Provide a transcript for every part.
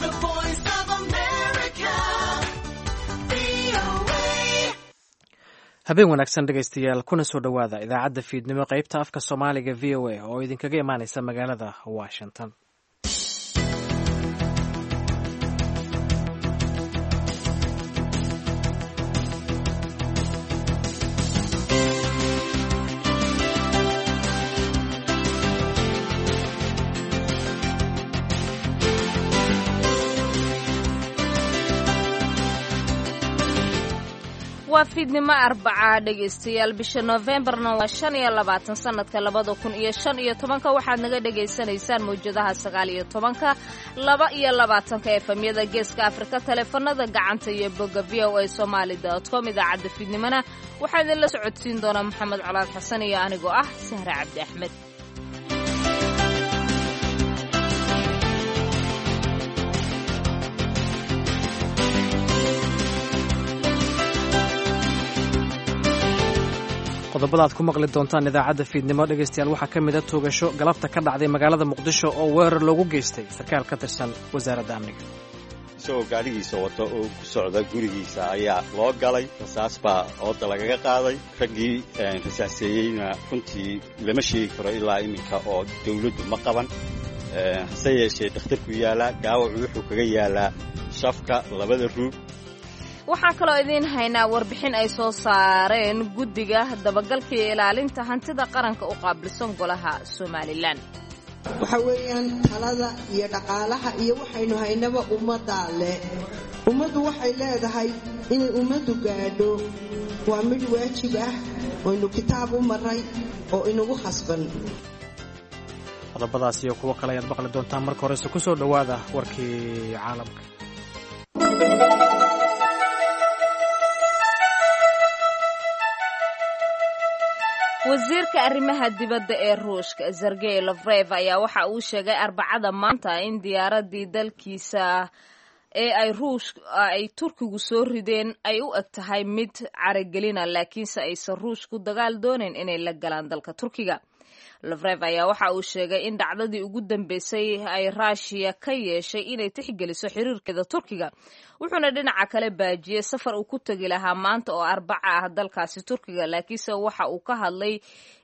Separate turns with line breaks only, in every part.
The Voice of America, VOA.
Habeen wanaagsan dhegaystayaal, kuna soo dhowaada idaacadda fiidnimo qaybta afka Soomaaliga VOA oo idinkaga imaanaysa magaalada Washington.
Waa fiidnimo Arbacaa dhegaystayaal, bisha Noofembarna waa 25 sanadka 2015. Waxaad naga dhegaysanaysaan mawjadaha 19-ka, 22-ka, efamyada Geeska Afrika, taleefanada gacanta iyo bogga voasomali.com. Idaacadda fiidnimona waxaa idinla socodsiin doonaa Maxamed Colaad Xasan iyo anigoo ah Sahre Cabdi Axmed.
Qodobada aad ku maqli doontaan idaacadda fiidnimo dhegaystayaal waxaa ka mid a toogasho galabta ka dhacday magaalada Muqdisho oo weerar loogu geystay sarkaal ka tirsan wasaaradda amniga.
Isagoo gaadhigiisa wata oo ku socda gurigiisa ayaa loo galay, rasaas baa ooda lagaga qaaday. Raggii rasaaseeyeyna runtii lama sheegi karo ilaa iminka oo dawladdu ma qaban. Hase yeeshee dhakhtarku yaalaa, gaawacu wuxuu kaga yaalaa shafka labada ruug.
Waxaan kaloo idiin haynaa warbixin ay soo saareen guddiga dabagalka iyo ilaalinta hantida qaranka u qaabilsan golaha Somalilan.
Waxa weeyaan talada iyo dhaqaalaha iyo waxaynu haynaba ummaddaa leh. Ummaddu waxay leedahay inay ummaddu gaadho waa mid waajib ah oynu kitaab u maray oo inagu khasban.
Qodobadaas iyo kuwo kale ayaad maqli doontaan. Marka horese ku soo dhowaada warkii caalamka.
Wasiirka arrimaha dibadda ee Ruushka Sergey Lofrev ayaa waxa uu sheegay Arbacada maanta in diyaaradii dalkiisa ee ay Ruush ay Turkigu soo rideen ay u eg tahay mid caragelina, laakiinse aysan Ruushku dagaal doonayn inay la galaan dalka Turkiga. Lofrev ayaa waxa uu sheegay in dhacdadii ugu dambeysay ay Raashiya ka yeeshay inay tixgeliso xiriirkeeda Turkiga, wuxuuna dhinaca kale baajiyey safar uu ku tegi lahaa maanta oo Arbaca ah dalkaasi Turkiga. Laakiinse waxa uu ka hadlay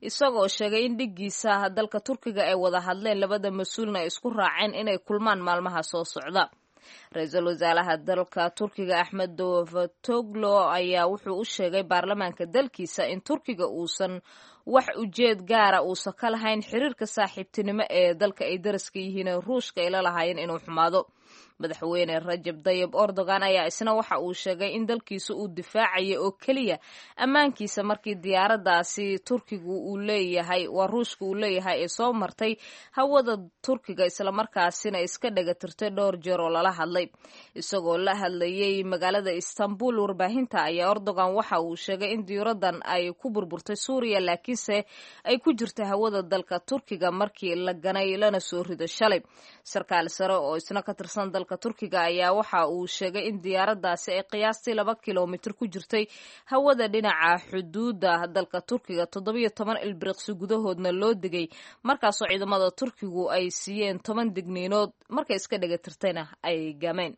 isagoo sheegay in dhiggiisa dalka Turkiga ay wada hadleen, labada mas-uulna ay isku raaceen inay kulmaan maalmaha soo socda. Ra-iisul wasaaraha dalka Turkiga Axmed Davutoglu ayaa wuxuu u sheegay baarlamaanka dalkiisa in Turkiga uusan wax ujeed gaara uusan ka lahayn xiriirka saaxiibtinimo ee dalka ay daraska yihiin ee Ruushka ay la lahaayeen inuu xumaado. Madaxweyne Rajab Dayib Erdogan ayaa isna waxa uu sheegay in dalkiisa uu difaacaya oo keliya ammaankiisa markii diyaaraddaasi Turkigu uu leeyahay, waa Ruushka uu leeyahay, ee soo martay hawada Turkiga islamarkaasina iska dhagatirtay dhowr jeer oo lala hadlay. Isagoo la hadlayay magaalada Istanbul warbaahinta ayaa Erdogan waxa uu sheegay in diyaaraddan ay ku burburtay Suuriya, laakiinse ay ku jirtay hawada dalka Turkiga markii la ganay lana soo rido shalay. Sarkaal sare oo isna ka tirsan dalka Turkiga ayaa waxa uu sheegay in diyaaraddaasi ay qiyaastii 2 kilomitir ku jirtay hawada dhinaca xuduudda dalka Turkiga, 17 ilbiriqsi gudahoodna loo digay, markaasoo ciidamada Turkigu ay siiyeen 10 digniinood, markay iska dhagatirtayna ay gameen.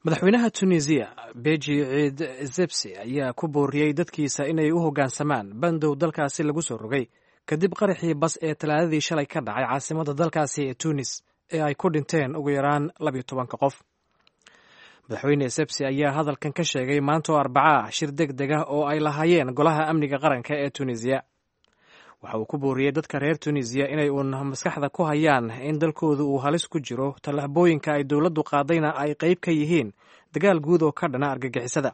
Madaxweynaha Tunisiya Beji Ciid Zebsi ayaa ku booriyey dadkiisa inay u hoggaansamaan bandow dalkaasi lagu soo rogay kadib qaraxii bas ee Talaadadii shalay ka dhacay caasimadda dalkaasi ee Tunis ee ay ku dhinteen ugu yaraan 12-ka qof. Madaxweyne Sebsi ayaa hadalkan ka sheegay maanta oo Arbaca ah shir deg deg ah oo ay lahaayeen golaha amniga qaranka ee Tunisiya. Waxa uu ku booriyey dadka reer Tunisiya inay uun maskaxda ku hayaan in dalkoodu uu halis ku jiro, tallaabooyinka ay dowladdu qaadayna ay qayb ka yihiin dagaal guud oo ka dhana argagixisada.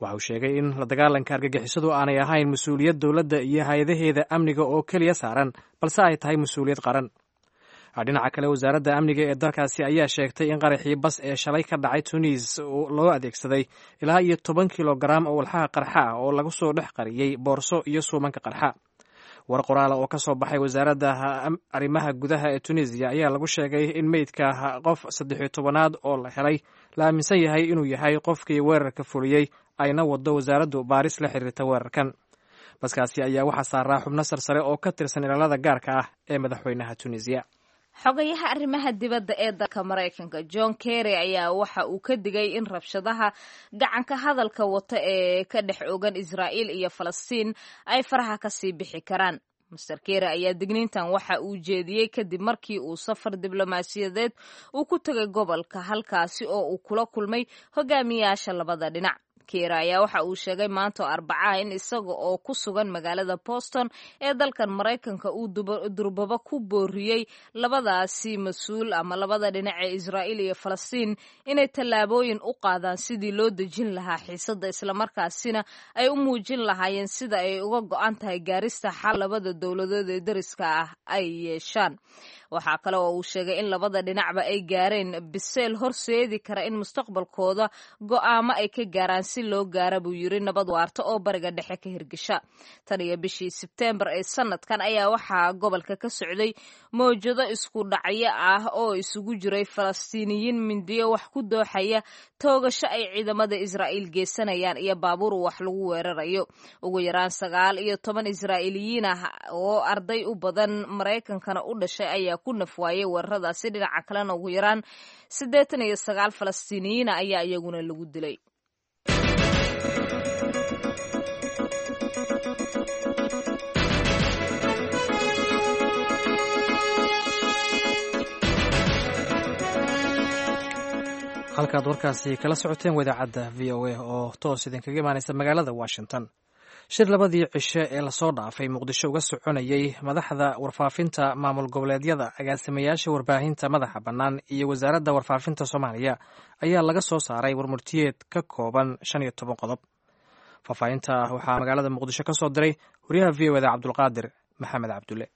Waxa uu sheegay in la dagaalanka argagixisadu aanay ahayn mas-uuliyad dowladda iyo hay-adaheeda amniga oo keliya saaran, balse ay tahay mas-uuliyad qaran. Dhinaca kale, wasaaradda amniga ee dalkaasi ayaa sheegtay in qaraxii bas ee shalay ka dhacay Tunis loo adeegsaday ilaa iyo 10 kilogaram oo walxaha qarxa ah oo lagu soo dhex qariyey boorso iyo suumanka qarxa. War qoraala oo ka soo baxay wasaaradda arrimaha gudaha ee Tunisiya ayaa lagu sheegay in meydka qof 13aad oo la helay la aaminsan yahay inuu yahay qofkii weerarka fuliyey, ayna wado wasaaraddu baaris la xiriirta weerarkan. Baskaasi ayaa waxaa saaraa xubno sarsare oo ka tirsan ilaalada gaarka ah ee madaxweynaha Tunisiya.
Xogayaha arrimaha dibadda ee dalka Maraykanka John Kerry ayaa waxa uu ka digay in rabshadaha gacanka hadalka wata ee ka dhex ogan Israa'iil iyo Falastiin ay faraha kasii bixi karaan. Master Kerry ayaa digniintan waxa uu jeediyey kadib markii uu safar diblomaasiyadeed uu ku tegay gobolka, halkaasi oo uu kula kulmay hogaamiyaasha labada dhinac. Kerry ayaa waxa uu sheegay maanta oo Arbacaha in isaga oo ku sugan magaalada Boston ee dalkan Maraykanka uu durbaba ku booriyey labadaasi mas-uul ama labada dhinac ee Israa'iil iyo Falastiin inay tallaabooyin u qaadaan sidii loo dejin lahaa xiisadda, islamarkaasina ay u muujin lahaayeen sida ay uga go'an tahay gaarista xal labada dowladood ee deriska ah ay yeeshaan. Waxaa kale oo uu sheegay in labada dhinacba ay gaareen biseel horseedi kara in mustaqbalkooda go'aamo ay ka gaaraan si loo gaara, buu yiri, nabad waarta oo Bariga Dhexe ka hirgesha. Tan iyo bishii Sebteembar ee sanadkan ayaa waxaa gobolka ka socday mowjado isku dhacyo ah oo isugu jiray Falastiiniyiin mindiyo wax ku dooxaya, toogasho ay ciidamada Israa'iil geysanayaan iyo baabuur wax lagu weerarayo. Ugu yaraan 19 Israa'iiliyiin ah oo arday u badan Maraykankana u dhashay ayaa ku nafwaayay weeraradaasi. Dhinaca kalena ugu yaraan 89 Falastiiniyiina ayaa iyaguna lagu dilay.
Halkaad warkaasi kala socoteen waa idaacadda VOA oo toos idinkaga imaaneysa magaalada Washington. Shir labadii cishe ee lasoo dhaafay Muqdisho uga soconayey madaxda warfaafinta maamul goboleedyada, agaasimayaasha warbaahinta madaxa bannaan iyo wasaaradda warfaafinta Soomaaliya ayaa laga soo saaray warmurtiyeed ka kooban 15 qodob. Faahfaahinta waxaa magaalada Muqdisho ka soo diray wariyaha VOA da Cabdulqaadir Maxamed Cabdulle.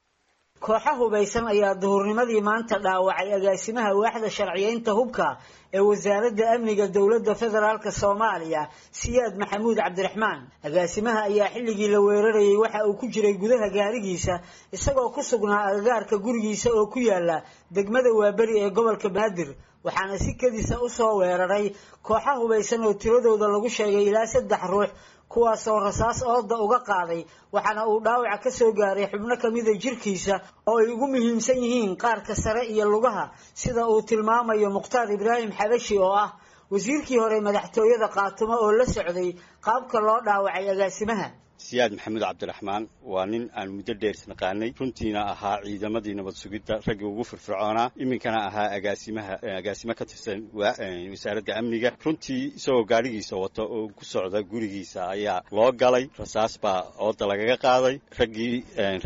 Kooxa hubaysan ayaa duhurnimadii maanta dhaawacay agaasimaha waaxda sharciyeynta hubka ee wasaaradda amniga dowladda federaalk Soomaaliya, Siyaad Maxamuud Cabdiraxmaan. Agaasimaha ayaa xilligii la weerarayay waxa uu ku jiray gudaha gaarigiisa, isagoo ku sugnaa agagaarka gurigiisa oo ku yaala degmada Waaberi ee gobolka Banaadir, waxaana si kedisa usoo weeraray kooxa hubaysan oo tiradooda lagu sheegay ilaa saddex ruux, kuwaasoo rasaas ooda uga qaaday, waxaana uu dhaawaca ka soo gaaray xubno kamida jirkiisa oo ay ugu muhiimsan yihiin qaarka sare iyo lugaha, sida uu tilmaamayo Mukhtaar Ibraahim Xabashi oo ah wasiirkii hore madaxtooyada Qaatumo oo la socday qaabka loo dhaawacay agaasimaha.
Siyaad Maxamuud Cabdiraxmaan waa nin aan muddo dheer isnaqaanay, runtiina ahaa ciidamadii nabad sugidda raggii ugu firfircoonaa, iminkana ahaa agaasimaha agaasimo ka tirsan wasaaradda amniga. Runtii isagoo gaadhigiisa wata oo ku socda gurigiisa ayaa loo galay, rasaas baa ooda lagaga qaaday. Raggii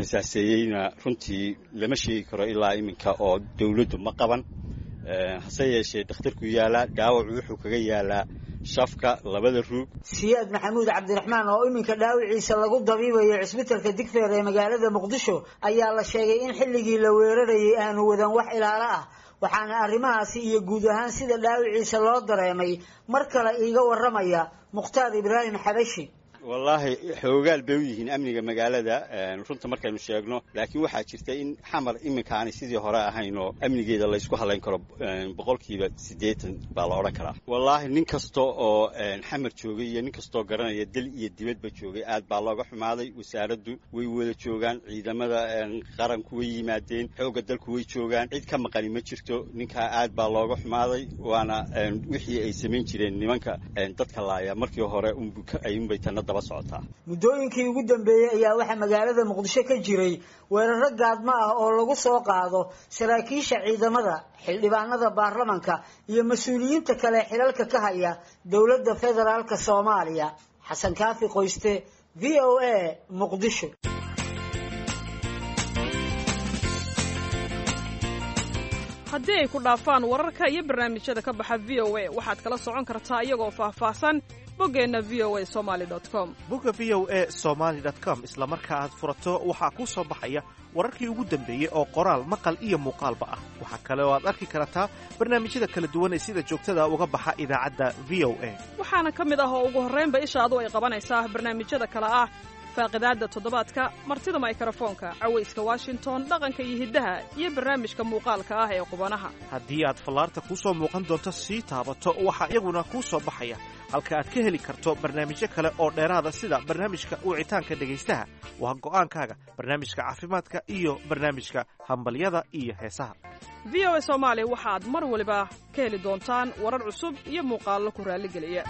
rasaaseeyeyna runtii lama sheegi karo ilaa iminka oo dowladdu ma qaban, hase yeeshee dhakhtarku yaalaa, dhaawacu wuxuu kaga yaalaa shafka labada ruug.
Siyaad Maxamuud Cabdiraxmaan oo iminka dhaawiciisa lagu dabiibayo cisbitalka Digfeer ee magaalada Muqdisho ayaa la sheegay in xilligii la weerarayay aanu wadan wax ilaalo ah, waxaana arrimahaasi iyo guud ahaan sida dhaawiciisa loo dareemay mar kale iiga waramaya Mukhtaar Ibraahim Xabashi.
Wallaahi xoogaal bay u yihiin amniga magaalada runta markaynu sheegno, laakiin waxaa jirta in Xamar iminka aanay sidii hore ahayn oo amnigeeda laysku hadlayn karo, 80% baa la odhan karaa. Wallaahi nin kasta oo Xamar joogay iyo nin kastoo garanaya dal iyo dibadba joogay aad baa looga xumaaday. Wasaaraddu way wada joogaan, ciidamada qaranku way yimaadeen, xoogga dalku way joogaan, cid ka maqani ma jirto. Ninkaa aad baa looga xumaaday, waana wixii ay samayn jireen nimanka dadka laaya markii hore unbay tana.
Muddooyinkii ugu dambeeyey ayaa waxaa magaalada Muqdisho ka jiray weeraro gaadmo ah oo lagu soo qaado saraakiisha ciidamada, xildhibaanada baarlamanka iyo mas-uuliyiinta kale xilalka ka haya dowladda federaalk Soomaaliya. Xasan Kaafi Qoyste, VOA, Muqdisho.
Haddii ay ku dhaafaan wararka iyo barnaamijyada ka baxa VOA, waxaad kala socon kartaa iyagoo faahfaahsan boggeenna voa somali com.
Bogga voa somaly com isla marka aad furato waxaa kuu soo baxaya wararkii ugu dambeeyey oo qoraal, maqal iyo muuqaalba ah. Waxaa kale oo aad arki kartaa barnaamijyada kala duwan ee sida joogtada uga baxa idaacadda VOA.
Waxaana ka mid ah oo ugu horraynba ishaadu ay qabanaysaa barnaamijyada kale ah faaqidaadda toddobaadka, martida maykarafoonka, cawayska Washington, dhaqanka iyo hiddaha iyo barnaamijka muuqaalka ah ee qubanaha.
Haddii aad fallaarta kuu soo muuqan doonto sii taabato, waxaa iyaguna kuu soo baxaya Halka aad ka heli karto barnaamijyo kale oo dheeraada, sida barnaamijka wicitaanka dhegaystaha, waa go'aankaaga, barnaamijka caafimaadka iyo barnaamijka hambalyada iyo heesaha.
VOA Soomaali waxaad mar waliba ka heli doontaan warar cusub iyo muuqaallo ku raalligeliya.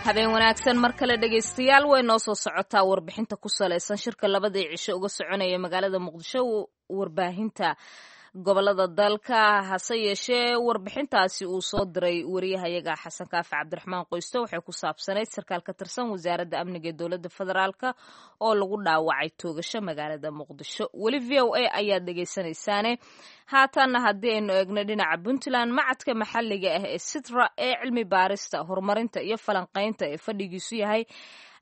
Habeen wanaagsan mar kale, dhegaystayaal. Way noo soo socotaa warbixinta ku salaysan shirka labadii cisho uga soconaya magaalada Muqdisho warbaahinta gobolada dalka. Hase yeeshee, warbixintaasi uu soo diray wariyahayaga Xasan Kaafi Cabdiraxmaan Qoysto waxay ku saabsanayd sarkaal ka tirsan Wasaaradda Amniga ee dowladda federaalka oo lagu dhaawacay toogasho magaalada Muqdisho. Weli VOA ayaad dhegaysanaysaane. Haatanna haddii aynu eegno dhinaca Puntland, macadka maxalliga ah ee Sitra ee cilmi baarista, horumarinta iyo falanqaynta ee fadhigiisu yahay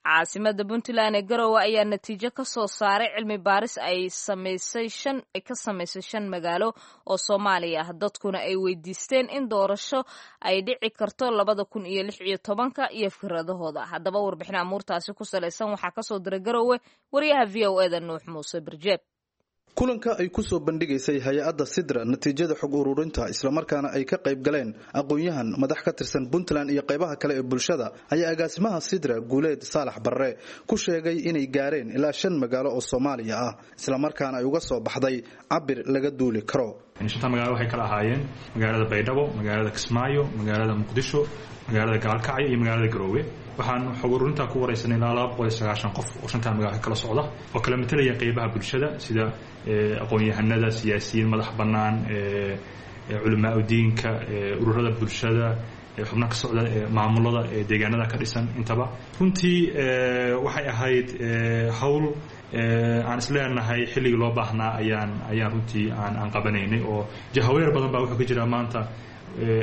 caasimada Puntland ee Garowe ayaa natiijo ka soo saaray cilmi baaris ay samaysay shan ay ka samaysay shan magaalo oo Soomaaliya ah, dadkuna ay weydiisteen in doorasho ay dhici karto 2016-ka iyo fikradahooda. Haddaba, warbixin amuurtaasi ku salaysan waxaa kasoo diray Garowe wariyaha VOA-da Nuux Muuse Birjeeb.
Kulanka ay ku soo bandhigaysay hay-adda Sidra natiijada xog ururinta, islamarkaana ay ka qayb galeen aqoon-yahan, madax ka tirsan Puntland iyo qaybaha kale ee bulshada, ayaa agaasimaha Sidra, Guuleed Saalax Barre, ku sheegay inay gaareen ilaa shan magaalo oo Soomaaliya ah, islamarkaana ay uga soo baxday cabir laga duuli karo.
Shanta magaalo waxay kala ahaayeen magaalada Baydhabo, magaalada Kismaayo, magaalada Muqdisho, magaalada Gaalkacyo iyo magaalada Garoowe. Waxaan xog ururintaa ku waraysanay ilaa 290 qof oo shantaa magaalo kala socda, oo kala matelaya qeybaha bulshada, sida aqoon-yahanada, siyaasiyiin madax bannaan, culamaa udiinka, ururada bulshada, xubno ka socda maamulada deegaanada ka dhisan intaba. Runtii waxay ahayd hawl aan isleenahay xilligii loo baahnaa ayaan runtii aan qabanaynay, oo jahaweer badan baa wuxuu ka jiraa maanta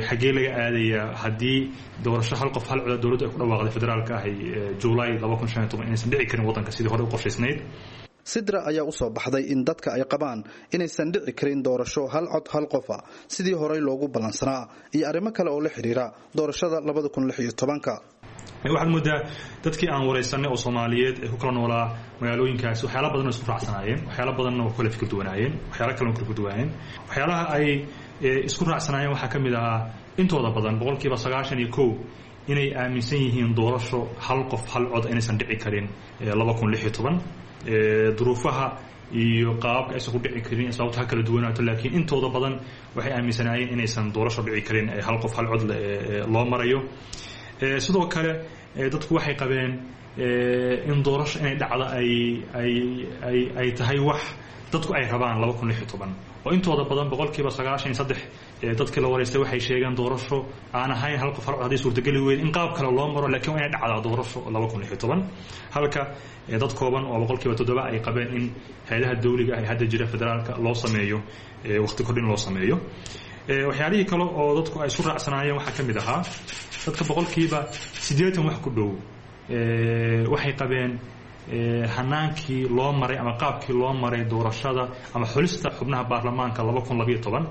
xaggee laga aadayaa haddii doorasho hal qof hal cod dowladdu ay ku dhawaaqday federaalka ahay July 2015 inaysan dhici karin waddanka sidii hore u qorshaysnayd.
Sidra ayaa usoo baxday in dadka ay qabaan inaysan dhici karin doorasho hal cod hal qofa sidii horey loogu ballansanaa, iyo arrimo kale oo la xidhiira doorashada 2016-ka.
Waxaad moodaa dadkii aan waraysanay oo Soomaaliyeed ee ku kala noolaa magaalooyinkaasi waxyaala badan oo isku raacsanaayeen, waxyaala badanna oo kala fikir duwanaayeen, waxyaala kale oo kala duwanaayeen. Waxyaalaha ay isku raacsanaayeen waxaa ka mid ahaa intooda badan, 91%, inay aaminsan yihiin doorasho hal qof hal cod inaysan dhici karin 2016, duruufaha iyo qaababka aysan ku dhici karin sababto ha kala duwanaato, laakiin intooda badan waxay aaminsanaayeen inaysan doorasho dhici karin hal qof hal cod loo marayo. Sidoo kale, dadku waxay qabeen in doorasho inay dhacdo ay tahay wax dadku ay rabaan 2016, oo intooda badan, 93%, dadkii la waraystay waxay sheegeen doorasho aan ahayn hal qof hal cod hadday suurtageli weyd in qaab kale loo maro, laakiin waa inay dhacdaa doorasho 2016, halka dad kooban oo 7% ay qabeen in hay-adaha dawliga ah ee hadda jira federaalka loo sameeyo waqti kordhin loo sameeyo. Waxyaalihii kale oo dadku ay isku raacsanaayeen waxaa ka mid ahaa dadka 80% wax ku dhow waxay qabeen hanaankii loo maray ama qaabkii loo maray doorashada ama xulista xubnaha baarlamaanka 2012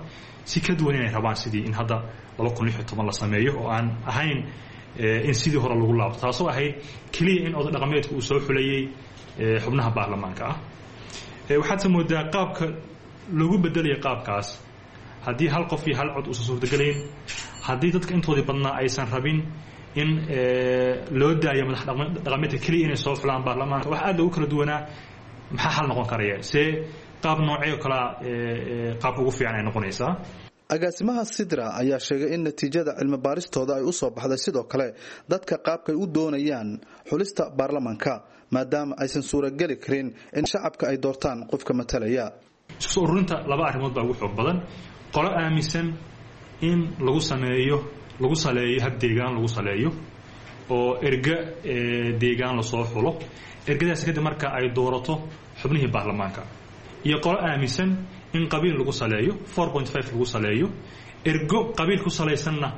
si ka duwan inay rabaan sidii in hadda 2016 la sameeyo, oo aan ahayn in sidii hore lagu laabto, taasoo ahayd keliya in oday dhaqameedku uu soo xulayey xubnaha baarlamaanka ah. Waxaadse moodaa qaabka lagu bedelayo qaabkaas, haddii hal qof iyo hal cod uusan suurtagelayn, haddii dadka intoodii badnaa aysan rabin in loo daayo madax dhaqameedka keliya inay soo xulaan baarlamaanka, wax aad loogu kala duwanaa maxaa xal noqon karaya, see qaab noocee oo kalea qaabka ugu fiican ay noqonaysaa.
Agaasimaha Sidra ayaa sheegay in natiijada cilmi baaristooda ay u soo baxday sidoo kale dadka qaabkay u doonayaan xulista baarlamaanka, maadaama aysan suurageli karin in shacabka ay doortaan qofka matalaya.
Isku soo ururinta laba arrimood baa ugu xoog badan: qolo aaminsan in lagu sameeyo, lagu saleeyo hab deegaan lagu saleeyo, oo erga deegaan lasoo xulo, ergadaasi kadib marka ay doorato xubnihii baarlamaanka, iyo qolo aaminsan in qabiil lagu saleeyo, 4.5 lagu saleeyo, ergo qabiil ku salaysanna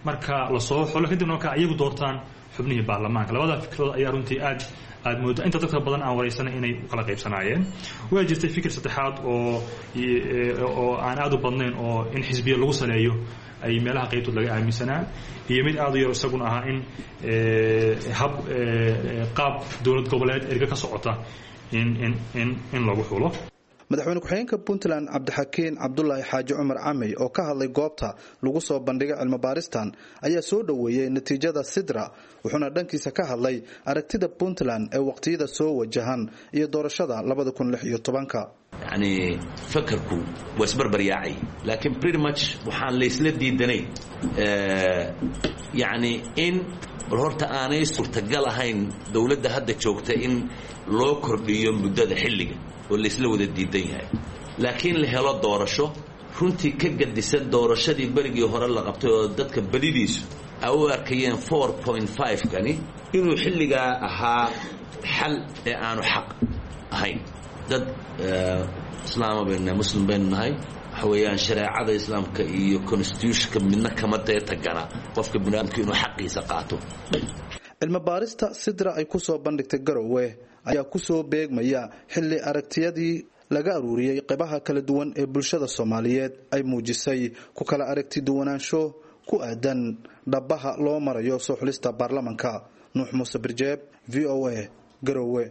marka lasoo xulo, kadibna marka iyagu doortaan xubnihii baarlamaanka. Labada fikradood ayaa runtii aad aad moodo inta dadka badan aan waraysanay inay u kala qaybsanaayeen. Waa jirtay fikir saddexaad oo aan aad u badnayn, oo in xisbiya lagu saleeyo ay meelaha qaybtood laga aaminsanaa, iyo mid aad u yar isaguna ahaa in hab qaab dowlad goboleed erga ka socota in lagu xulo.
Madaxweyne ku-xigeenka Puntland Cabdixakiin Cabdulaahi Xaaji Cumar Camey oo ka hadlay goobta lagu soo bandhigay cilmibaaristan ayaa soo dhoweeyey natiijada Sidra, wuxuuna dhankiisa ka hadlay aragtida Puntland ee waqtiyada soo wajahan iyo doorashada 2016-ka.
Yacni fakarku waa isbarbaryaacay, laakiin pretty much waxaan laysla diidanay yacni in bal horta aanay suurtagal ahayn dowladda hadda joogta in loo kordhiyo muddada xilliga oo laysla wada diidan yahay, laakiin la helo doorasho runtii ka gadisan doorashadii berigii hore la qabtay oo dadka badidiisu ay u arkayeen 4.5 kani inuu xilligaa ahaa xal ee aanu xaq ahayn. Dad islaama baynu nahay, muslim baynu nahay. Waxa weeyaan shareecada islaamka iyo constitutionka midna kama deetagana qofka biniaadamka inuu xaqiisa qaato.
Cilmi baarista Sidra ay ku soo bandhigtay Garowe ayaa kusoo beegmaya xilli aragtiyadii laga aruuriyey qeybaha kala duwan ee bulshada Soomaaliyeed ay muujisay ku kala aragti duwanaansho ku aadan dhabaha loo marayo soo xulista baarlamanka. Nuux Muuse Birjeeb, VOA, Garowe.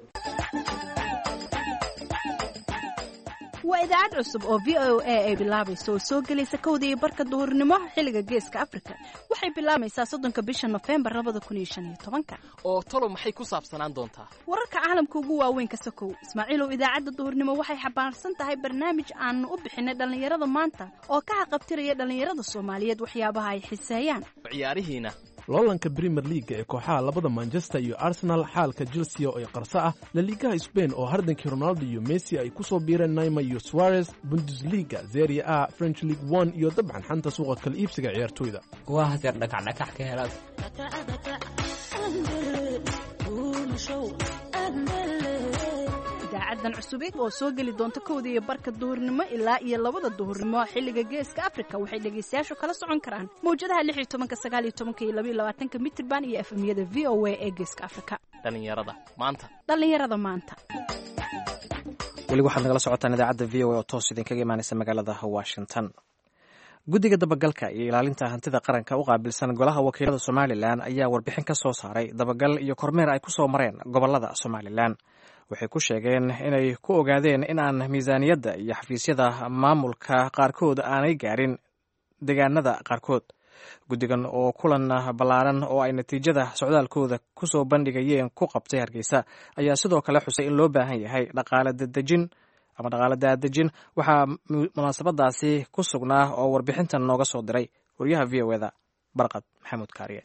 Waa idaacad cusub oo VOA ay bilaabayso oo soo gelaysa 1:30 duhurnimo xilliga Geeska Afrika. Waxay bilaabaysaa 30-ka bisha Nofembar 2015-ka.
Oo talo maxay ku saabsanaan doontaa?
Wararka caalamka ugu waaweyn ka sokow, Ismaaciilow, idaacadda duhurnimo waxay xambaarsan tahay barnaamij aanu u bixinay Dhallinyarada Maanta oo ka haqabtiraya dhallinyarada Soomaaliyeed waxyaabaha ay xiseeyaan.
Ciyaarihiina?
Loolanka Premier League ee kooxaha labada Manchester iyo Arsenal, xaalka Chelsea oo ay qarso ah, Laligaha Spain oo hardankii Ronaldo iyo Messi ay ku soo biireen Neymar iyo Suarez, Bundesliga, Serie A, French League One iyo dabcan xanta suuqa kala iibsiga ciyaartoyda.
Waa hadeer dhakacdhakax ka helaad.
Idaacaddan cusub oo soo geli doonta 1:30 duhurnimo ilaa iyo 2-da duhurnimo xilliga Geeska Afrika waxay dhegaystayaashu kala socon karaan mawjadaha 16-ka, 19-ka iyo 22-ka mitirban iyo FM-yada VOA ee Geeska Afrika.
Dhallinyarada Maanta.
Dhallinyarada Maanta.
Weli waxaad nagala socotaan idaacadda VOA oo toos idinkaga imaaneysa magaalada Washington. Guddiga dabagalka iyo ilaalinta hantida qaranka u qaabilsan golaha wakiilada Somalilan ayaa warbixin ka soo saaray dabagal iyo kormeer ay ku soo mareen gobolada Somalilan. Waxay ku sheegeen inay ku ogaadeen in aan miisaaniyadda iyo xafiisyada maamulka qaarkood aanay gaarin deegaanada qaarkood. Guddigan oo kulan ballaaran oo ay natiijada socdaalkooda kusoo bandhigayeen ku qabtay Hargeysa ayaa sidoo kale xusay in loo baahan yahay dhaqaale dadejin ama dhaqaale daadejin. Waxaa munaasabadaasi ku sugnaa oo warbixintan nooga soo diray wariyaha VOA-da Barqad Maxamuud Kaariye.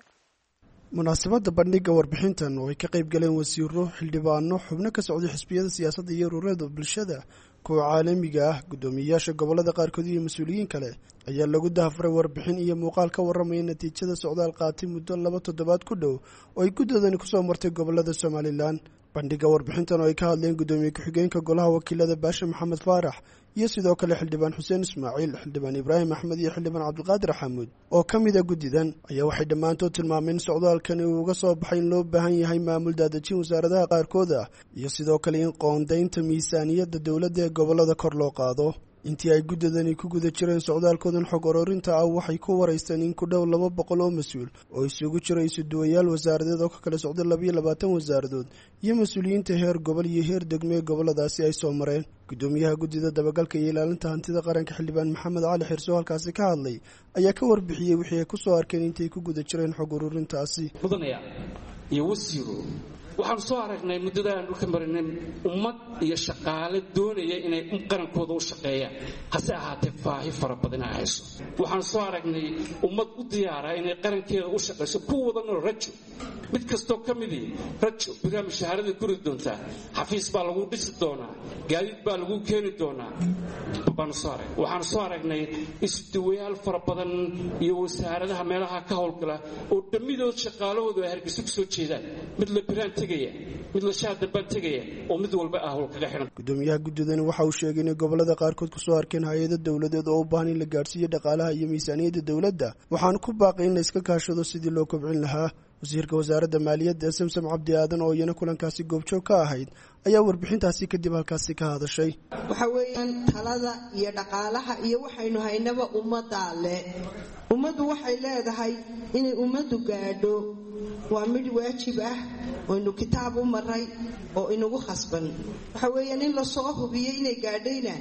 Munaasabadda bandhigga warbixintan oo ay ka qayb galeen wasiiro, xildhibaano, xubno ka socday xisbiyada siyaasadda iyo ururada bulshada, kuwa caalamiga ah, guddoomiyeyaasha gobollada qaarkood iyo mas-uuliyiin kale ayaa lagu dahafuray warbixin iyo muuqaal ka warramaya natiijada socdaal qaatay muddo 2 toddobaad ku dhow oo ay guddoodani kusoo martay gobollada Somalilan. Bandhigga warbixintan oo ay ka hadleen guddoomiye ku-xigeenka golaha wakiilada Baashe Maxamed Faarax iyo sidoo kale xildhibaan Xuseen Ismaaciil, xildhibaan Ibraahim Axmed iyo xildhibaan Cabdiqaadir Xamuud oo ka mid a guddidan ayaa waxay dhammaantood tilmaameen in socdaalkani uu uga soo baxay in loo baahan yahay maamul daadejin wasaaradaha qaarkood ah iyo sidoo kale in qoondaynta miisaaniyadda dowladda ee gobollada kor loo qaado. Intii ay guddadani ku guda jireen socdaalkoodan xog ururinta ah waxay ku waraysteen in ku dhow 200 oo mas-uul oo isugu jira isuduwayaal wasaaradeed oo ka kala socda 22 wasaaradood iyo mas-uuliyiinta heer gobol iyo heer degmo ee gobolladaasi ay soo mareen. Guddoomiyaha guddida dabagalka iyo ilaalinta hantida qaranka, xildhibaan Maxamed Cali Xirso, halkaasi ka hadlay ayaa ka warbixiyey wixii ay kusoo arkeen intay ku guda jireen xog ururintaasi.
Mudanaya iyo wasiiro, waxaanu soo aragnay muddada aan dhulka marinay ummad iyo shaqaale doonaya inay qarankooda u shaqeeyaan, hase ahaatee baahi fara badan ay hayso. Waxaanu soo aragnay ummad u diyaara inay qarankeeda u shaqayso, ku wada nool rajo, mid kastoo ka midii rajo biraha mushaharada guri doontaa, xafiis baa lagu dhisi doonaa, gaadiid baa lagu keeni doonaa baanu soo aragnay. Waxaanu soo aragnay isduwayaal fara badan iyo wasaaradaha meelaha ka howlgala oo dhammidood shaqaalahoodu ay Hargeysa ku soo jeedaan, mid la biraan tegaya, mid la shaadarbaan tegaya, oo mid walba ah howl kaga xidhan.
Gudoomiyaha guddidani waxa uu sheegay inay gobolada qaarkood kusoo arkeen hay-ado dowladeed oo u baahan in la gaadhsiiyo dhaqaalaha iyo miisaaniyadda dowladda, waxaana ku baaqay in la iska kaashado sidii loo kobcin lahaa. Wasiirka wasaaradda maaliyadda Samsam Cabdi Aadan oo iyana kulankaasi goobjoog ka ahayd ayaa warbixintaasi kadib halkaasi ka hadashay.
Waxa weeyaan talada iyo dhaqaalaha iyo waxaynu haynaba ummaddaa le. Ummaddu waxay leedahay inay ummaddu gaadho. Waa midh waajib ah oynu kitaab u maray oo inagu khasban. Waxa weeyaan in lasoo hubiyo inay gaadhayna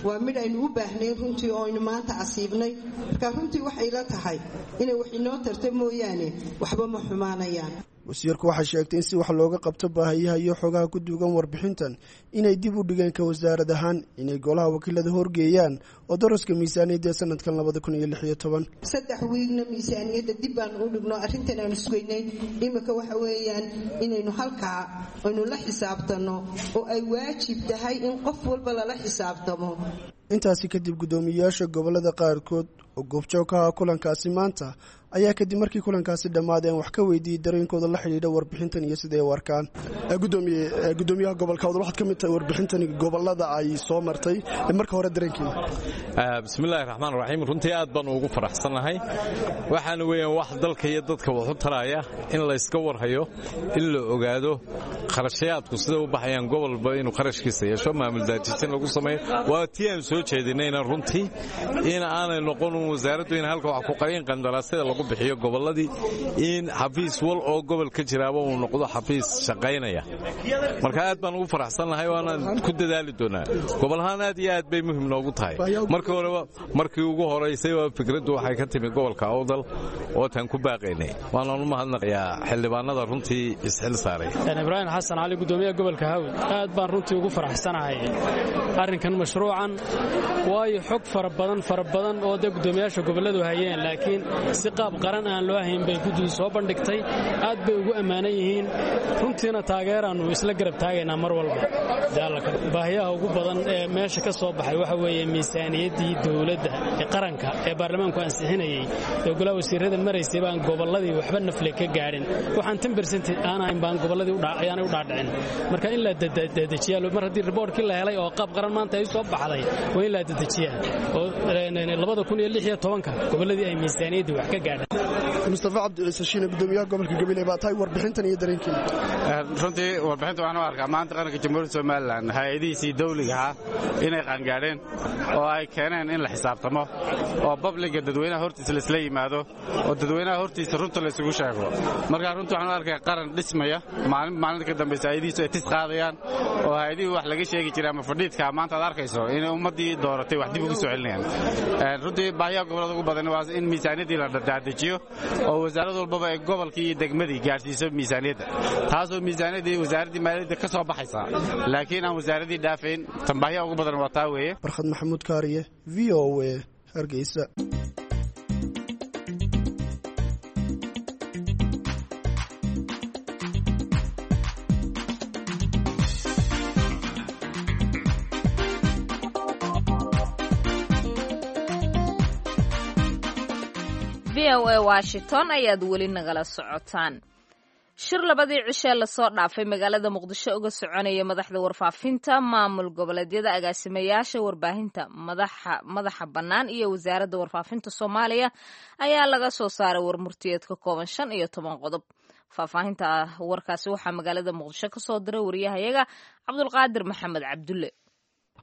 waa midh aynu u baahnayn runtii oo aynu maanta asiibnay. Marka runtii waxay la tahay inay wax inoo tarta mooyaane waxba ma xumaanayaan.
Wasiirku waxay sheegtay in si wax looga qabto baahiyaha iyo xogaha ku duugan warbixintan inay dib u dhigeen ka wasaarad ahaan inay golaha wakiilada horgeeyaan oo daraska miisaaniyadda ee sanadkan 2016.
3 wiigna miisaaniyadda dib baanu u dhigno arrintan aanu sugaynay. Iminka waxa weeyaan inaynu halkaa aynu la xisaabtanno oo ay waajib tahay in qof walba lala xisaabtamo.
Intaasi kadib guddoomiyeyaasha gobolada qaarkood oo goobjoog ka ahaa kulankaasi maanta ayaa kadib markii kulankaasi dhammaadeen wax ka weydiiyey dareenkooda la xidhiidha warbixintan iyo siday u arkaan. Gudoomiyaha gobolka Awdal, waxaad ka mid tahay warbixintan gobolada ay soo martay, marka hore dareenkiina.
Bismillahi raxmaan raxiim. Runtii aad baan ugu faraxsannahay. Waxaana weeyaan wax dalka iyo dadka wax u taraya in layska warhayo, in la ogaado kharashayaadku sida u baxayaan, gobolba inuu kharashkiisa yeesho, maamul daajijin lagu sameeyo. Waa tii aan soo jeedinayna runtii in aanay noqon wasaaraddu in halka wax ku qarin qandaraasyada lagu bixiyo gobolladii, in xafiis wal oo gobol ka jiraaba uu noqdo xafiis shaqaynaya. Marka aad baan ugu faraxsannahay, waanaan ku dadaali doonaa. Gobol ahaan aad iyo aad bay muhiim noogu tahay. Markii horeba, markii ugu horaysay waa fikraddu waxay ka timi gobolka Awdal oo taan ku baaqaynay. Waanaan u mahadnaqayaa xildhibaanada runtii isxil saaray.
Ibraahim Xasan Cali, gudoomiyaha gobolka Hawd. Aad baan runtii ugu faraxsanahay arrinkan mashruucan, waayo xog fara badan fara badan oo dee guddoomiyaasha gobolladu hayeen laakiin si qaab qaran aan loo hayn bay guddidu soo bandhigtay. Aad bay ugu ammaanan yihiin runtiina, taageeraannu isla garab taagaynaa mar walba. Baahiyaha ugu badan ee meesha ka soo baxay waxa weeye miisaaniyaddii dowladda ee qaranka ee baarlamaanku ansixinayey ee golaha wasiirada maraysay baan gobolladii waxba nafle ka gaadhin. Waxaan 10% aan ahayn baan gobolladii ayaanay u dhaadhicin. Marka in la dedejiyaa mar haddii riboorkii la helay oo qaab qaran maanta ay soo baxday, waa in la dedejiyaa oo 2016-ka gobolladii ay miisaaniyaddii wax ka gaadhaan.
Mustafa Cabdi Ciise Shiine, gudoomiyaha gobolka Gabiley baa tahay, warbixintan iyo dareenkiina.
Runtii warbixinta waxaan u arkaa maanta qaranka Jamhuuriyadda Somalilan hay-adihiisii dawliga ahaa inay qaangaadheen oo ay keeneen in la xisaabtamo oo babliga dadweynaha hortiisa laisla yimaado oo dadweynaha hortiisa runta la isugu sheego. Marka runtii waxaan u arkaa qaran dhismaya maalin maalinta ka dambaysa, hay-adihiisu ay tis qaadayaan oo hay-adihii wax laga sheegi jiray ama fadhiidka maanta aad arkayso inay ummaddii dooratay wax dib ugu soo celinayaan. Runtii baahiyaha gobollada ugu badan waa in miisaaniyaddii la dadejiyo oo wasaarad walbaba ay gobolkii iyo degmadii gaadhsiiso miisaaniyadda, taasoo miisaaniyaddii wasaaraddii maaliyadda ka soo baxaysa laakiin aan wasaaradii dhaafayn. Tan baahiyaha ugu badan waa taa weeye.
Barkhad Maxamuud Kaariye, VOA, Hargeysa.
VOA Washington ayaad weli nagala socotaan. Shir labadii cishee lasoo dhaafay magaalada Muqdisho uga soconaya madaxda warfaafinta maamul goboleedyada, agaasimayaasha warbaahinta madaxa bannaan iyo wasaaradda warfaafinta Soomaaliya ayaa laga soo saaray warmurtiyeed ka kooban 15 qodob. Faahfaahinta warkaasi waxaa magaalada Muqdisho ka soo diray wariyahayaga Cabdulqaadir Maxamed Cabdulle.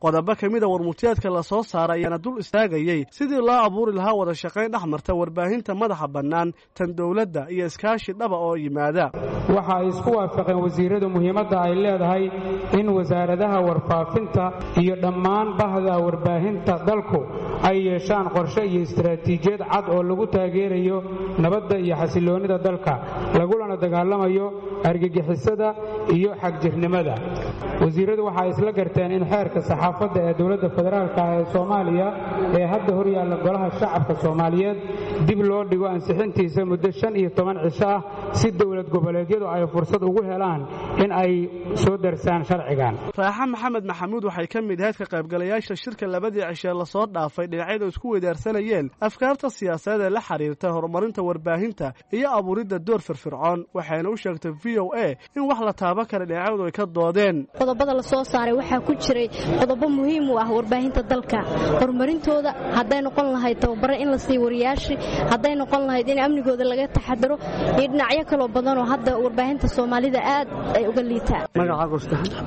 Qodobo ka mid a warmurtiyeedka la soo saaray ayaana dul istaagayey sidii loo abuuri lahaa wada shaqayn dhex marta warbaahinta madaxa bannaan, tan dowladda iyo iskaashi dhaba oo yimaada.
Waxa ay isku waafaqeen wasiiradu muhiimadda ay leedahay in wasaaradaha warfaafinta iyo dhammaan bahda warbaahinta dalku ay yeeshaan qorshe iyo istaraatiijiyad cad oo lagu taageerayo nabadda iyo xasilloonnida dalka, lagulana dagaalamayo argagixisada iyo xagjirnimada. Wasiiradu waxa ay isla garteen in xeerka saxaafadda ee dowladda federaalka ah ee Soomaaliya ee hadda horyaalla golaha shacabka Soomaaliyeed dib loo dhigo ansixintiisa muddo 15 cisho ah si dowlad goboleedyadu ay fursad ugu helaan in ay soo darsaan sharcigan.
Raaxa Maxamed Maxamuud waxay ka mid ahayd ka qaybgalayaasha shirka labadii cishee lasoo dhaafay dhinacyadu isku weydaarsanayeen afkaarta siyaasadeed ee la xiriirta horumarinta warbaahinta iyo abuuridda door firfircoon, waxayna u sheegtay VOA in wax la taaban kara dhinacyadu ay ka doodeen.
Qodobada la soo saaray waxaa ku jiray qodobo muhiim u ah warbaahinta dalka horumarintooda, hadday noqon lahayd tababare in la siiyo wariyaashii, hadday noqon lahayd in amnigooda laga taxadaro iyo dhinacyo kaloo badanoo hadda warbaahinta Soomaalida aad ay uga liitaan.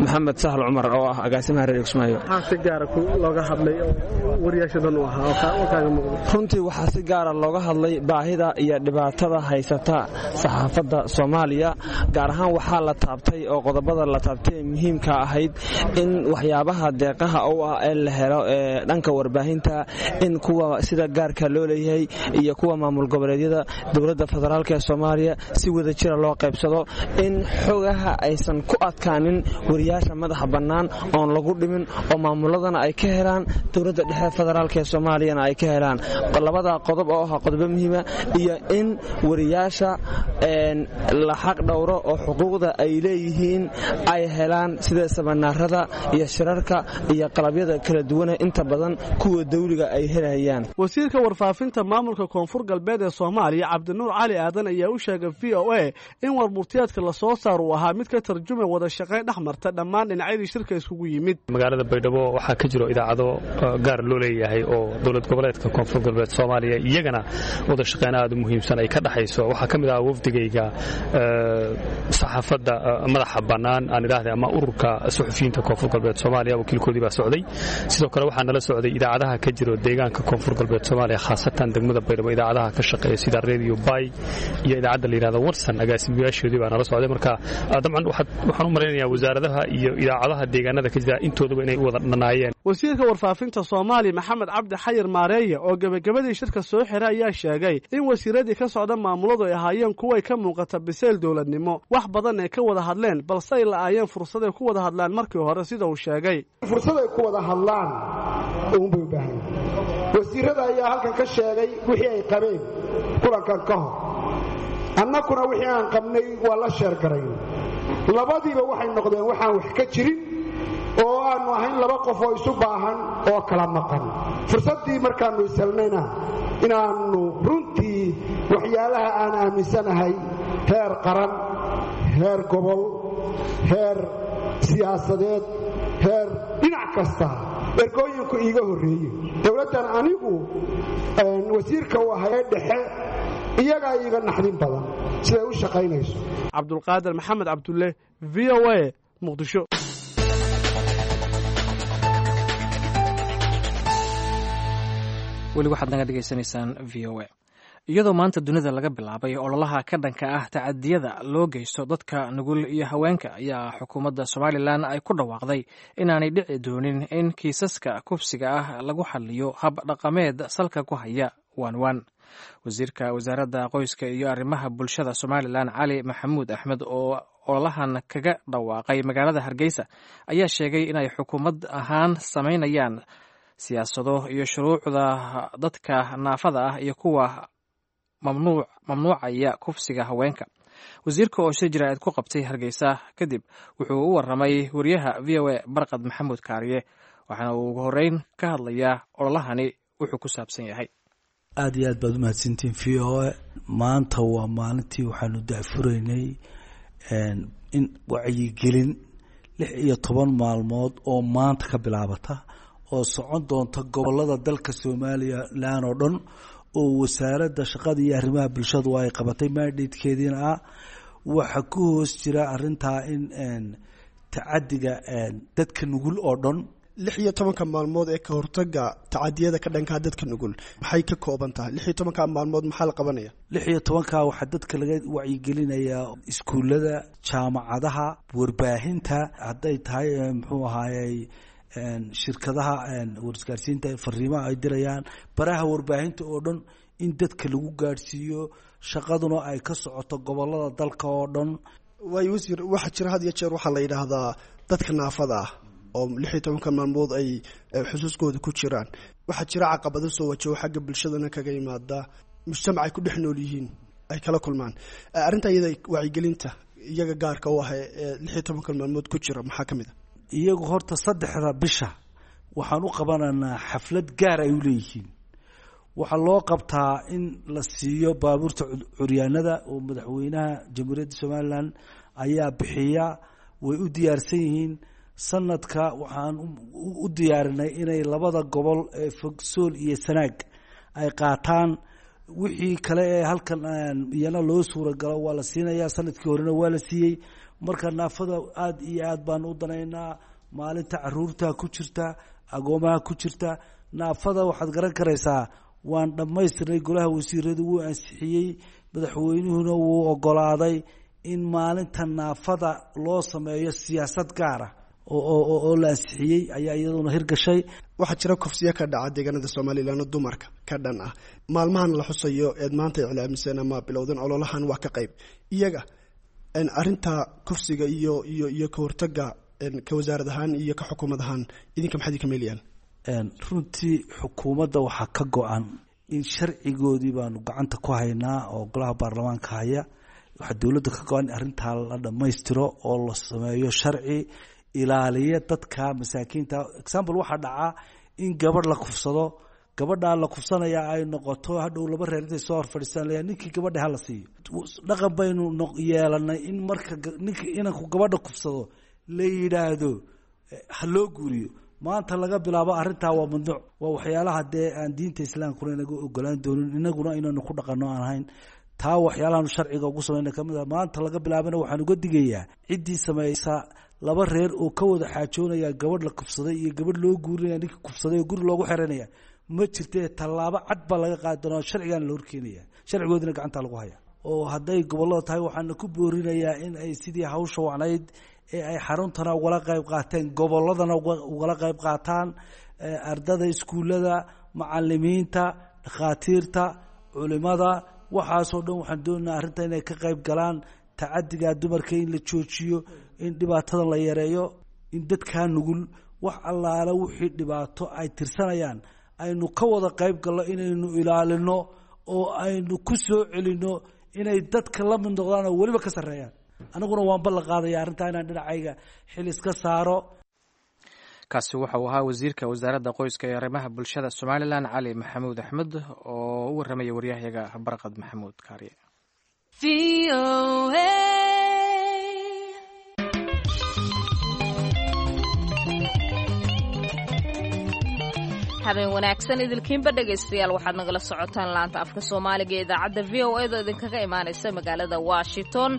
Maxamed Sahal Cumar oo ah agaasimaha reer Kismaayo.
Maxaa si gaara looga hadlay oo wariyaasha shirkan u ahaa oo kaaga muuqda?
Runtii waxaa si gaara looga hadlay baahida iyo dhibaatada haysata saxaafadda Soomaaliya. Gaar ahaan waxaa la taabtay oo qodobada la taabtay ee muhiimka ahayd in waxyaabaha deeqaha u ah ee la helo ee dhanka warbaahinta, in kuwa sida gaarka loo leeyahay iyo kuwa maamul goboleedyada dowladda federaalk ee Soomaaliya si wada jira loo qaybsado, in xogaha aysan ku adkaanin wariyaasha madaxa bannaan oon lagu dhimin, oo maamuladana ay ka helaan, dowladda dhexe federaalk ee Soomaaliyana ay ka helaan. Labada qodob oo ah qodobo muhiima, iyo in wariyaasha la xaq dhowro oo xuquuqda ay leeyihiin ay helaan, sida samanaarada iyo shirarka iyo qalabyada kala duwane inta badan kuwa dawliga ay helayaan.
Wasiirka warfaafinta maamulka Koonfur Galbeed ee Soomaaliya, Cabdinuur Cali Aadan, ayaa u sheegay VOA in warmurtiyeedka lasoo saar uu ahaa mid ka tarjumay wada shaqayn dhex marta dhammaan dhinacyadii shirka iskugu yimid.
Magaalada Baydhabo waxaa ka jiro idaacado gaar loo leeyahay oo dowlad goboleedka Koonfur Galbeed Soomaaliya iyagana wada shaqayn aad u muhiimsan ay ka dhaxayso. Waxaa ka mid ah wafdigayga saxaafadda madaxa bannaan aan idhaahday ama ururka suxufiyiinta Koonfur Galbeed Soomaaliya, wakiilkoodii baa socday. Sidoo kale waxaa nala socday idaacadaha ka jiro deegaanka Koonfur Galbeed Soomaaliya, khaasatan degmada Baydhabo, idaacadaha ka shaqeeya sida Radio Bay iyo idaacadda la yidhahdo Warsan, agaasimayaashoodii baa nala socday. Marka dabcan waxaan u malaynayaa wasaaradaha iyo idaacadaha deegaanada ka jira intooduba inay u wada dhanaayeen.
Wasiirka warfaafinta Soomaaliya, Maxamed Cabdi Xayir Maareeye, oo gebagabadii shirka soo xiray ayaa sheegay in wasiiradii ka socda maamuladu ay ahaayeen kuway ka muuqata biseyl dowladnimo, wax badan ay ka wada hadleen, balse ay la'aayeen fursaday ku wada hadlaan markii hore, sida uu sheegay.
Fursad ay ku wada hadlaan uunbay u baahan. Wasiirada ayaa halkan ka sheegay wixii ay qabeen kulankan ka hor, annakuna wixii aan qabnay waa la sheergarayn. Labadiiba waxay noqdeen waxaan wax ka jirin oo aannu ahayn laba qof oo isu baahan oo kala maqan. Fursaddii markaannu ishelnayna inaannu runtii waxyaalaha aan aaminsanahay heer qaran, heer gobol, heer siyaasadeed, heer dhinac kasta ergooyinku iiga horreeye. Dowladdan anigu wasiirka u ahay ee dhexe iyagaa iiga naxdin badan siday u shaqaynayso.
Cabdulqaadir Maxamed Cabdulle, VOA, Muqdisho.
Weli waxaad naga dhegaysanaysaan VOA. Iyadoo maanta dunida laga bilaabay ololaha ka dhanka ah tacadiyada loo geysto dadka nugul iyo haweenka, ayaa xukuumadda Somalilan ay ku dhawaaqday inaanay dhici doonin in kiisaska kufsiga ah lagu xaliyo hab dhaqameed salka ku haya waanwaan. Wasiirka wasaaradda qoyska iyo arrimaha bulshada Somalilan, Cali Maxamuud Axmed, oo ololahan kaga dhawaaqay magaalada Hargeysa, ayaa sheegay inay xukuumad ahaan samaynayaan siyaasado iyo shuruucda dadka naafada ah iyo kuwa mamnuucaya kufsiga haweenka. Wasiirka oo shir jaraa'id ku qabtay Hargeysa kadib wuxuu u waramay wariyaha VOA, Barqad Maxamuud Kaariye, waxaana uu ugu horeyn ka hadlayaa ololahani wuxuu ku saabsan yahay.
Aada iyo aad baad umahadsantiin VOA. Maanta waa maalintii waxaanu daafuraynay in wacyigelin 16 maalmood oo maanta ka bilaabata oo socon doonta gobolada dalka Somalilan oo dhan, oo wasaaradda shaqada iyo arrimaha bulshadu ay qabatay mandatekeediina ah. Waxaa ku hoos jira arintaa in tacadiga dadka nugul oo dhan.
16-ka maalmood ee ka hortaga tacadiyada ka dhankaa dadka nugul maxay ka kooban tahay? 16-ka maalmood maxaa la qabanaya?
16-ka waxaa dadka laga wacyigelinayaa iskuullada, jaamacadaha, warbaahinta, hadday tahay muxuu ahaayey shirkadaha warisgaarsiinta fariimaha ay dirayaan, baraha warbaahinta oo dhan in dadka lagu gaadhsiiyo, shaqaduna ay ka socoto gobolada dalka oo dhan.
Waayo wasiir, waxaa jira had iyo jeer waxaa la yidhaahdaa dadka naafada ah oo 16-ka maalmood ay xusuuskooda ku jiraan, waxaa jira caqabado soo wajaho xagga bulshadana kaga yimaada, mujtamac ay ku dhex nool yihiin ay kala kulmaan. Arrinta iyada wacyigelinta iyaga gaarka u ah ee 16-ka maalmood ku jira maxaa ka mid a?
Iyagu horta saddexda bisha waxaan u qabanaynaa xaflad gaar ay u leeyihiin. Waxaa loo qabtaa in la siiyo baabuurta curyaanada oo madaxweynaha Jamhuuriyadda Somalilan ayaa bixiya, way u diyaarsan yihiin. Sanadka waxaan u diyaarinay inay labada gobol ee Fogsool iyo Sanaag ay qaataan. Wixii kale ee halkan iyana loo suuragalo waa la siinayaa, sanadkii horena waa la siiyey. Marka naafada aada iyo aad baan u danaynaa, maalinta caruurta ku jirta, agoomaha ku jirta, Naafada waxaad garan karaysaa waan dhammaystirnay, golaha wasiiradu wuu ansixiyey, madaxweynuhuna wuu ogolaaday in maalinta naafada loo sameeyo siyaasad gaara oo la ansixiyey ayaa iyaduna hirgashay.
Waxaa jira kufsiyo ka dhaca deegaanada Somalilan oo dumarka ka dhan ah. Maalmahan la xusayo eed maanta iclaamiseen ama bilowdan ololahan waa ka qayb iyaga arinta kufsiga iyo ka hortaga, ka wasaarad ahaan iyo ka xukuumad ahaan idinka maxaad idinka meelayaan?
Runtii xukuumadda waxaa ka go-an in sharcigoodii baanu gacanta ku haynaa oo golaha baarlamaanka haya. Waxaa dowladda ka go-an in arrintaa la dhammaystiro oo la sameeyo sharci ilaaliya dadka masaakiinta. Example, waxaa dhacaa in gabadh la kufsado, gabadhaa la kufsanaya ay noqoto hadhow laba reer intay soo hor fadhiistaan leeyahay ninkii gabadha hala siiyo. Dhaqan baynu yeelanay in marka ninka inanku gabadha kufsado la yidhaahdo ha loo guuriyo. Maanta laga bilaabo arrintaa waa mamnuuc. Waa waxyaalaha dee aan diinta islaamkuna inaga ogolaan doonin, inaguna inaynu ku dhaqanno aan ahayn. Taa waxyaalahaanu sharciga ugu samayna kamid ah. Maanta laga bilaabana waxaan uga digayaa ciddii samaysa laba reer oo ka wada xaajoonaya gabadh la kufsaday iyo gabadh loo guurinaya ninkii kufsaday oo guri loogu xeranaya ma jirte. Tallaabo cad baa laga qaadi doonaa, sharcigaana la horkeenaya, sharcigoodina gacanta lagu haya. Oo hadday gobollada tahay waxaana ku boorinayaa in ay sidii hawsha wacnayd ee ay xaruntana ugala qayb qaateen gobolladana ugala qayb qaataan, ardada iskuullada, macalimiinta, dhakhaatiirta, culimada, waxaasoo dhan waxaan doonaynaa arrinta inay ka qayb galaan. Tacadiga dumarka in la joojiyo, in dhibaatadan la yareeyo, in dadkaa nugul wax allaala wixii dhibaato ay tirsanayaan aynu ka wada qayb galno, inaynu ilaalino oo aynu ku soo celinno inay dadka la mid noqdaan oo weliba ka sarreeyaan. Aniguna waan ballan qaadaya arrintaa inaan dhinacayga xil iska saaro.
Kaasi waxa uu ahaa wasiirka wasaaradda qoyska ee arrimaha bulshada Somalilan, Cali Maxamuud Axmed, oo u warramaya waryahayaga Barqad Maxamuud Kaariye.
Habeen wanaagsan idilkiinba dhegaystayaal, waxaad nagala socotaan laanta afka Soomaaliga ee idaacadda VOA da idinkaga imaanaysa magaalada Washington.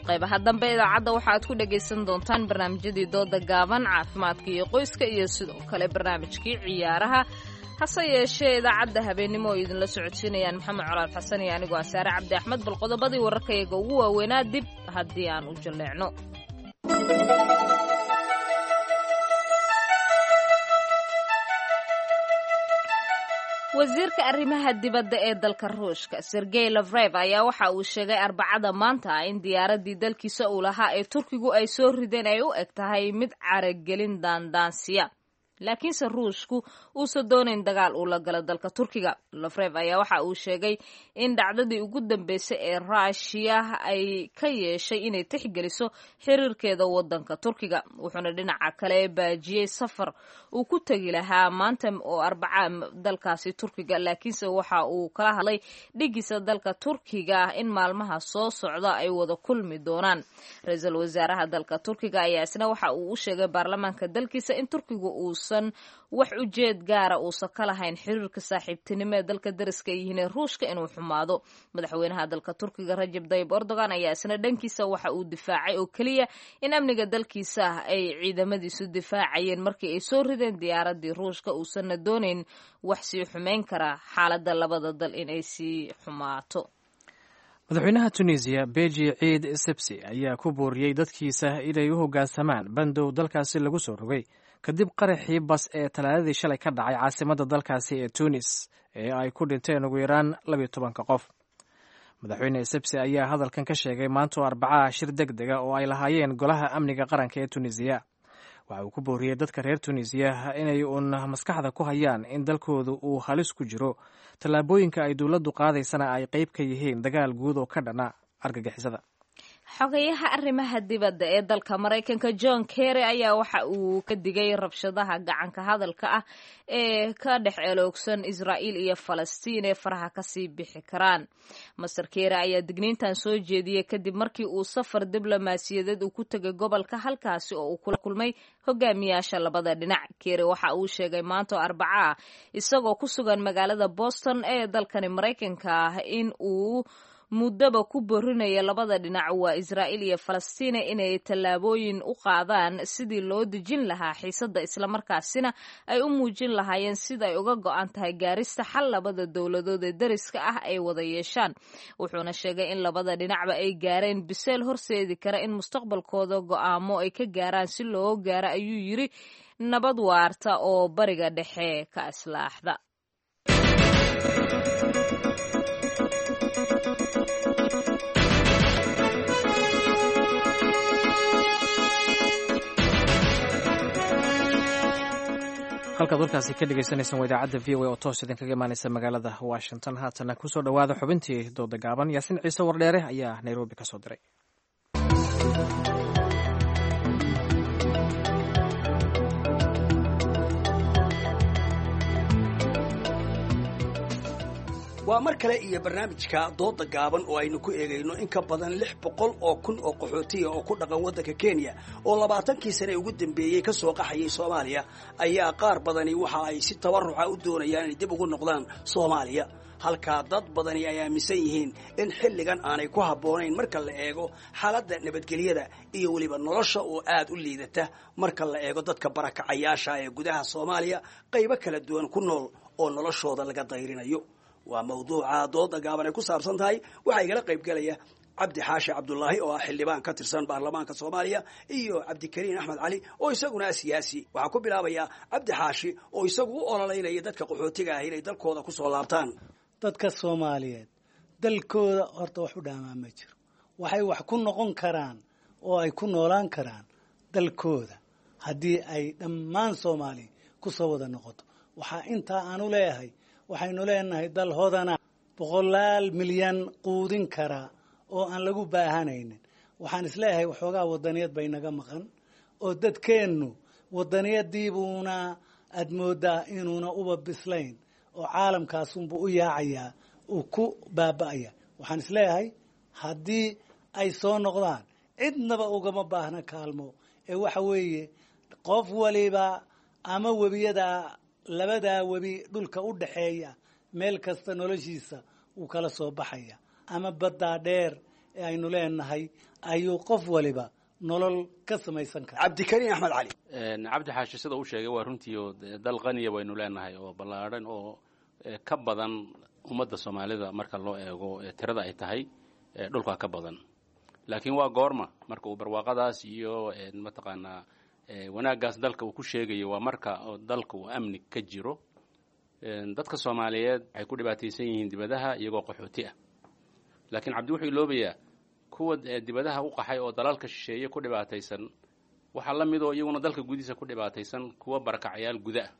Qaybaha dambe idaacadda waxaaad ku dhagaysan doontaan barnaamijyadii dooda gaaban, caafimaadka iyo qoyska, iyo sidoo kale barnaamijkii ciyaaraha. Hase yeeshee idaacadda habeennimo oo idinla socodsiinayaan Maxamed Colaad Xasan iyo anigoo Asaare Cabdi Axmed. Bal qodobadii wararkayaga ugu waaweynaa dib haddii aan u jalleecno. Wasiirka arrimaha dibadda ee dalka Ruushka, Sergey Lavrev, ayaa waxa uu sheegay Arbacada maanta in diyaaraddii dalkiisa uu lahaa ee Turkigu ay soo rideen ay u eg tahay mid caragelin daandaansiya, laakiinse Ruushku uusan doonayn dagaal uu la galo dalka Turkiga. Lafrev ayaa waxa uu sheegay in dhacdadii ugu dambeysay ee Raashiya ay ka yeeshay inay tixgeliso xiriirkeeda wadanka Turkiga, wuxuuna dhinaca kale baajiyey safar uu ku tegi lahaa maanta oo Arbaca dalkaasi Turkiga, laakiinse waxa uu kala hadlay dhigiisa dalka Turkiga ah in maalmaha soo socda ay wada kulmi doonaan. Ra-iisul wasaaraha dalka Turkiga ayaa isna waxa uu u sheegay baarlamaanka dalkiisa in Turkigu uusan wax ujeed gaara uusan ka lahayn xiriirka saaxiibtinimo ee dalka dariska ay yihiin ee Ruushka inuu xumaado. Madaxweynaha dalka Turkiga, Rajab Dayib Erdogan, ayaa isna dhankiisa waxa uu difaacay oo keliya in amniga dalkiisa ah ay ciidamadiisu difaacayeen markii ay soo rideen diyaaradii Ruushka, uusanna doonayn wax sii xumeyn kara xaaladda labada dal inay sii xumaato.
Madaxweynaha Tunisiya, Beji Ciid Sebsi, ayaa ku booriyey dadkiisa inay u hoggaansamaan bandow dalkaasi lagu soo rogay kadib qaraxii bas ee Talaadadii shalay ka dhacay caasimadda dalkaasi ee Tunis ee ay ku dhinteen ugu yaraan 12-ka qof. Madaxweyne Sebsi ayaa hadalkan ka sheegay maantoo Arbacaha shir deg dega oo ay lahaayeen golaha amniga qaranka ee Tunisiya. Waxa uu ku booriyey dadka reer Tunisiya inay uun maskaxda ku hayaan in dalkoodu uu halis ku jiro, tallaabooyinka ay dowladdu qaadaysana ay qayb ka yihiin dagaal guud oo ka dhana argagixisada.
Xogayaha arrimaha dibadda ee dalka Maraykanka, John Kerry, ayaa waxa uu ka digay rabshadaha gacanka hadalka ah ee ka dhex eloogsan Israa'iil iyo Falastiin ee faraha kasii bixi karaan. Master Kerry ayaa digniintan soo jeediyey kadib markii uu safar diblomaasiyadeed uu ku tegay gobolka, halkaasi oo uu kula kulmay hogaamiyaasha labada dhinac. Kerry waxa uu sheegay maanta oo Arbaca ah, isagoo ku sugan magaalada Boston ee dalkani Maraykanka ah, in uu muddaba ku borinaya labada dhinac waa Israa'iil iyo Falastiina inay tallaabooyin u qaadaan sidii loo dejin lahaa xiisadda, islamarkaasina ay u muujin lahaayeen sida ay uga go'an tahay gaarista xal labada dowladood ee dariska ah ay wada yeeshaan. Wuxuuna sheegay in labada dhinacba ay gaareen biseel horseedi kara in mustaqbalkooda go'aamo ay ka gaaraan si loo gaaro, ayuu yiri, nabad waarta oo Bariga Dhexe ka islaaxda.
Halkaad warkaasi ka dhegeysaneysaan waa idaacadda VOA oo toos idinkaga imaaneysa magaalada Washington. Haatana kusoo dhowaada xubintii dooda gaaban. Yaasiin Ciise Wardheere ayaa Nairobi ka soo diray.
Waa mar kale iyo barnaamijka dooda gaaban oo aynu ku eegayno in ka badan 600,000 oo qaxootiya oo ku dhaqan waddanka Kenya oo 20kii sane ugu dambeeyey ka soo qaxayay Soomaaliya ayaa qaar badani waxa ay si tabaruca u doonayaan inay dib ugu noqdaan Soomaaliya, halkaa dad badani ay aaminsan yihiin in xilligan aanay ku habboonayn marka la eego xaaladda nabadgelyada iyo weliba nolosha oo aad u liidata marka la eego dadka barakacayaasha ee gudaha Soomaaliya qaybo kala duwan ku nool oo noloshooda laga dayrinayo. Waa mawduuca dooda gaaban ay ku saabsan tahay. Waxaa igala qayb gelaya Cabdi Xaashi Cabdulaahi oo ah xildhibaan ka tirsan baarlamaanka Soomaaliya iyo Cabdikariin Axmed Cali oo isaguna ah siyaasi. Waxaa ku bilaabayaa Cabdi Xaashi oo isagu u ololeynaya dadka qaxootiga ah inay dalkooda ku soo laabtaan.
Dadka Soomaaliyeed dalkooda horta wax u dhaamaa ma jiro. Waxay wax ku noqon karaan oo ay ku noolaan karaan dalkooda haddii ay dhammaan Soomaaliya ku soo wada noqoto. Waxaa intaa aanu leeyahay, waxaynu leenahay dal hodana, boqolaal milyan quudin karaa oo aan lagu baahanaynin. Waxaan isleeyahay waxoogaa wadaniyad bay naga maqan oo dadkeennu wadaniyadiibuuna aad moodaa inuuna uba bislayn oo caalamkaasunbuu u yaacayaa, uu ku baaba'aya. Waxaan isleeyahay haddii ay soo noqdaan cidnaba ugama baahna kaalmo ee waxa weeye qof waliba ama webiyada labadaa webi dhulka u dhaxeeya meel kasta noloshiisa wuu kala soo baxaya, ama baddaa dheer ee aynu leenahay ayuu qof waliba nolol ka samaysan kara.
Cabdikariin Axmed Cali.
Cabdi Xaashi sida uu sheegay waa runtii oo dal qaniya waynu leenahay oo ballaadhan oo ka badan ummadda Soomaalida marka loo eego tirada ay tahay dhulka ka badan, laakiin waa goorma marka uu barwaaqadaas iyo mataqaanaa wanaaggaas dalka uu ku sheegayo? Waa marka dalka uu amni ka jiro. Dadka Soomaaliyeed waxay ku dhibaataysan yihiin dibadaha iyagoo qaxooti ah, laakiin Cabdi wuxuu iloobayaa kuwa dibadaha u qaxay oo dalalka shisheeye ku dhibaataysan. Waxaa la mid oo iyaguna dalka gudihiisa ku dhibaataysan kuwa barakacayaal guda ah.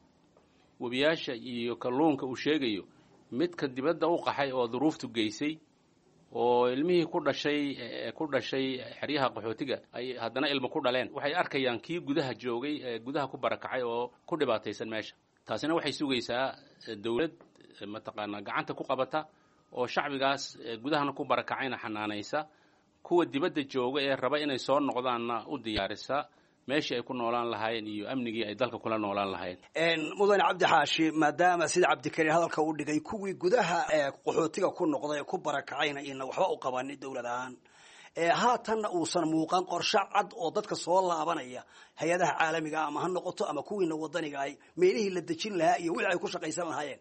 Webiyaasha iyo kalluunka uu sheegayo, midka dibadda u qaxay oo duruuftu geysay oo ilmihii ku dhashay xeryaha qaxootiga ay haddana ilmo ku dhaleen, waxay arkayaan kii gudaha joogay ee gudaha ku barakacay oo ku dhibaataysan meesha. Taasina waxay sugaysaa dowlad mataqaanaa gacanta ku qabata oo shacbigaas gudahana ku barakacayna xanaanaysa, kuwa dibadda jooga ee raba inay soo noqdaanna u diyaarisa meeshii ay ku noolaan lahaayeen iyo amnigii ay dalka kula noolaan lahaayeen.
Mudane Cabdi Xaashi, maadaama sida Cabdikariin hadalka u dhigay kuwii gudaha qaxootiga ku noqday ee ku barakacayna ina waxba u qabanin dowlad ahaan, haatanna uusan muuqan qorshe cad oo dadka soo laabanaya hay-adaha caalamiga ama ha noqoto ama kuwiina wadaniga ahy meelihii la dejin lahaa iyo wixii ay ku shaqaysan lahaayeen,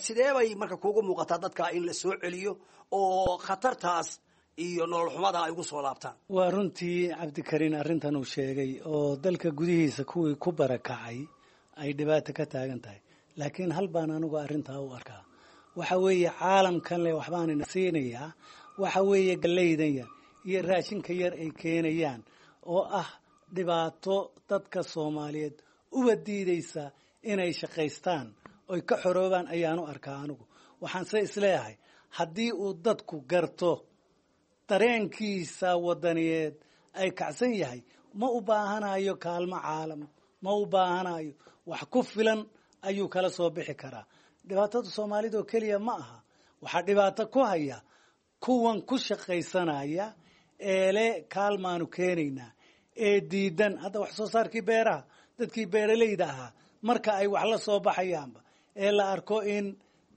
sidee bay marka kuugu muuqataa dadka in la soo celiyo oo khatartaas iyo nolol xumada ay ugu soo laabtaan?
Waa runtii Cabdikariin arrintan uu sheegay oo dalka gudihiisa kuwii ku barakacay ay dhibaato ka taagan tahay, laakiin hal baan anigu arrintaa u arkaa. Waxa weeye caalamkan le waxbaanina siinayaa, waxa weeye gallaydan yar iyo raashinka yar ay keenayaan oo ah dhibaato dadka Soomaaliyeed uba diidaysa inay shaqaystaan oy ka xoroobaan ayaanu arkaa anigu. Waxaan se isleeyahay haddii uu dadku garto dareenkiisa wadaniyeed ay kacsan yahay, ma u baahanayo kaalmo caalam, ma u baahanayo, wax ku filan ayuu kala soo bixi karaa. Dhibaatada Soomaalida oo keliya ma aha, waxaa dhibaato ku haya kuwan ku shaqaysanaya eele kaalmaanu keenaynaa ee diidan hadda wax soo saarkii beeraha. Dadkii beeralayda ahaa marka ay wax la soo baxayaanba ee la arko in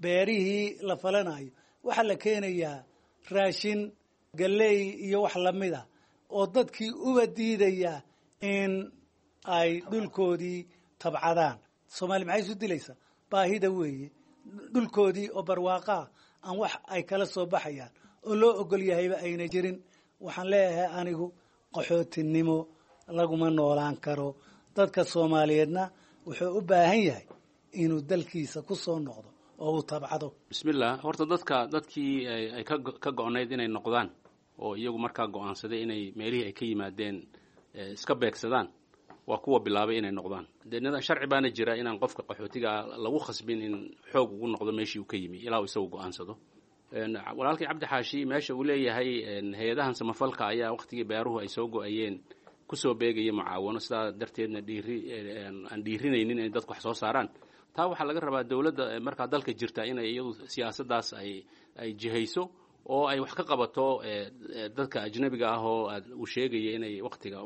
beerihii la falanayo, waxaa la keenayaa Raashin galley iyo wax lamid a oo dadkii uba diidaya in ay dhulkoodii tabcadaan. Soomaaliya maxay isu dilaysaa? Baahida weeye. Dhulkoodii oo barwaaqaa aan wax ay kala soo baxayaan oo loo ogol yahayba ayna jirin. Waxaan leeyahay anigu qaxootinimo laguma noolaan karo. Dadka Soomaaliyeedna wuxuu u baahan yahay inuu dalkiisa ku soo noqdo oo uu tabcado.
Bismillah, horta dadkii ay ka go-nayd inay noqdaan oo iyagu markaa go-aansaday inay meelihii ay ka yimaadeen iska beegsadaan waa kuwa bilaabay inay noqdaan. Dee sharci baana jira inaan qofka qaxootiga lagu khasbin in xoog ugu noqdo meeshii uu ka yimi ilaa uu isagu go-aansado. Walaalkii Cabdi Xaashi meesha uu leeyahay hay-adahan samafalka ayaa waqtigii beeruhu ay soo go-ayeen kusoo beegaya mucaawano, sidaa darteedna dhiiri aan dhiirinaynin inay dadku wax soo saaraan. Taa waxaa laga rabaa dowladda markaa dalka jirta inay iyadu siyaasaddaas ay jihayso oo ay wax ka qabato dadka ajnabiga ah oo uu sheegaya inay waqtiga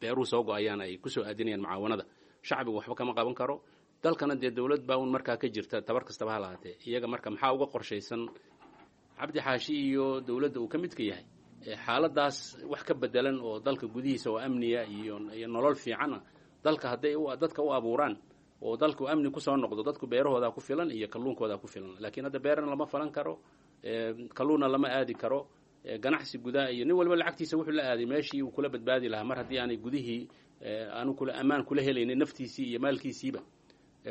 beeruhu soo go-ayaan ay kusoo aadinayaan mucaawanada. Shacbigu waxba kama qaban karo, dalkana dee dowlad baa un markaa ka jirta, tabar kastaba ha lahaatee. Iyaga marka maxaa uga qorshaysan Cabdi Xaashi iyo dowladda uu ka midka yahay xaaladaas wax ka bedelan oo dalka gudihiisa oo amniya iyo nolol fiicana dalka hadday dadka u abuuraan oo dalku amni kusoo noqdo, dadku beerahoodaa ku filan iyo kalluunkoodaa ku filan. Laakiin hadda beerana lama falan karo, kalluunna lama aadi karo, ganacsi gudaha iyo nin walba lacagtiisa wuxuu la aaday meeshii uu kula badbaadi lahaa mar haddii aanay gudihii aanu kula ammaan kula helaynin naftiisii iyo maalkiisiiba.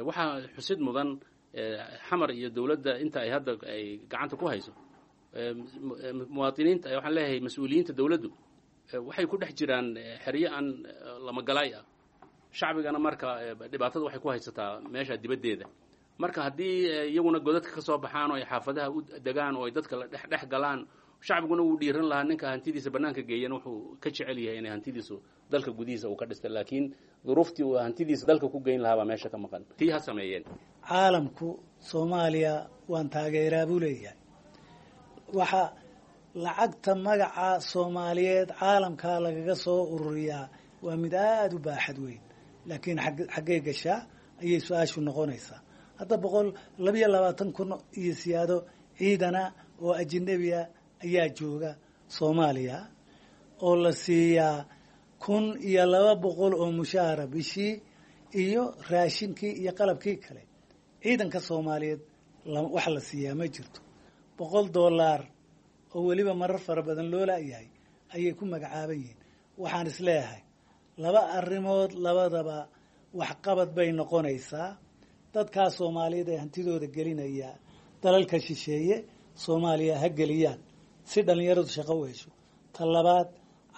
Waxaa xusid mudan Xamar iyo dowladda inta ay hadda ay gacanta ku hayso muwaadiniinta, waxaan leeyahay mas-uuliyiinta dowladdu waxay ku dhex jiraan xeryo aan lamagalaay ah. Shacbigana marka dhibaatada waxay ku haysataa meesha dibaddeeda. Marka haddii iyaguna godadka ka soo baxaan oo ay xaafadaha u degaan oo ay dadka la dhex galaan, shacbiguna wuu dhiiran lahaa. Ninka hantidiisa bannaanka geeyana wuxuu ka jecel yahay inay hantidiisu dalka gudihiisa uu ka dhistay, laakiin duruuftii uu hantidiisa dalka ku geyn lahaa baa meesha ka maqan. Tii ha sameeyeen.
Caalamku Soomaaliya waan taageeraa buu leeyahay. Waxa lacagta magaca Soomaaliyeed caalamkaa lagaga soo ururiyaa waa mid aada u baaxad weyn, laakiin xaggay gashaa ayay su-aashu noqonaysaa. Hadda 122,000 iyo siyaado ciidana oo ajnabiya ayaa jooga Soomaaliya oo la siiyaa 1,200 oo mushaara bishii iyo raashinkii iyo qalabkii kale. Ciidanka Soomaaliyeed wax la siiyaa ma jirto. $1 oo weliba marar fara badan loo laayahay ayay ku magacaaban yihiin. Waxaan isleeyahay laba arrimood labadaba waxqabad bay noqonaysaa. Dadkaa Soomaaliyeed ee hantidooda gelinaya dalalka shisheeye Soomaaliya ha geliyaan si dhallinyaradu shaqo u hesho. Ta labaad,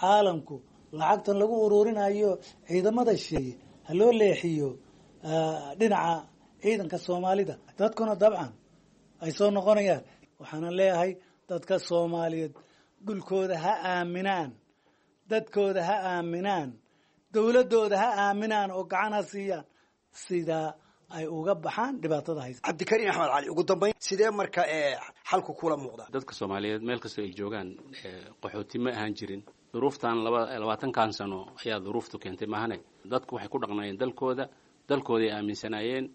caalamku lacagtan lagu ururinayo ciidamada shisheeye ha loo leexiyo dhinaca ciidanka Soomaalida, dadkuna dabcan ay soo noqonayaan. Waxaana leeyahay dadka Soomaaliyeed dhulkooda ha aaminaan, dadkooda ha aaminaan, dowladooda ha aaminaan oo gacan ha siiyaan sidaa ay uga baxaan dhibaatada haysa.
Cabdikariin Axmed Cali, ugu dambayn sidee marka xalku kula muuqda?
Dadka Soomaaliyeed meel kastoo ay joogaan qaxooti ma ahaan jirin. Duruuftan 20kan sano ayaa duruuftu keentay maahane. Dadku waxay ku dhaqnaayeen dalkooda, dalkooday aaminsanaayeen,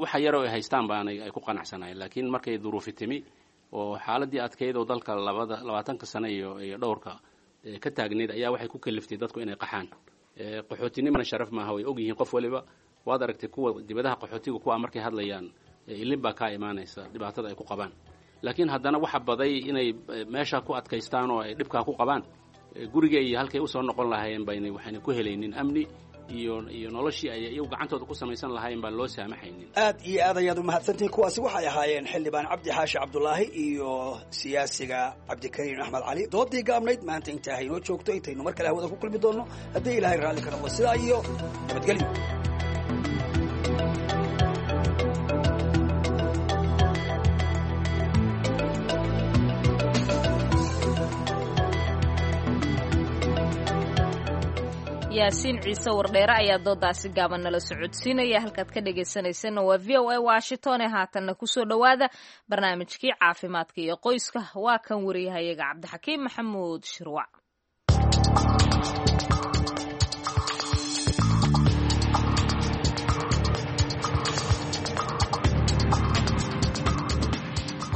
waxa yaroo ay haystaan baanay ay ku qanacsanaayeen. Laakiin markay duruufi timi oo xaaladii adkeyd oo dalka 20ka sano iyo dhowrka ka taagneyd ayaa waxay ku kaliftay dadku inay qaxaan. Qaxootinimana sharaf maaha, way ogyihiin qof waliba. Waad aragtay kuwa dibadaha qaxootiga kuwa markay hadlayaan ilin baa kaa imaanaysa dhibaatada ay ku qabaan. Laakiin haddana waxa baday inay meesha ku adkaystaan oo ay dhibkaa ku qabaan guriga iyo halkay usoo noqon lahaayeen baynay waxayna ku helaynin amni iyo noloshii ay iyagu gacantooda ku samaysan lahaayeen baan loo saamaxaynin.
Aad iyo aad ayaad umahadsantihiin. Kuwaasi waxay ahaayeen xildhibaan Cabdi Xaashi Cabdulaahi iyo siyaasiga Cabdikariin Axmed Cali. Doodii gaabnayd maanta inta haynoo joogto, intaynu mar kale hawada ku kulmi doonno haddii Ilaahay raalli ka noqdo, sidaa iyo nabadgelyo.
Yaasiin Ciise Wardheere ayaa doodaasi gaaban nala socodsiinaya. Halkaad ka dhegaysanaysanna waa V O A Washington. Ee haatanna kusoo dhowaada barnaamijkii caafimaadka iyo qoyska. Waa kan wariyahayaga Cabdixakiim Maxamuud Shirwac.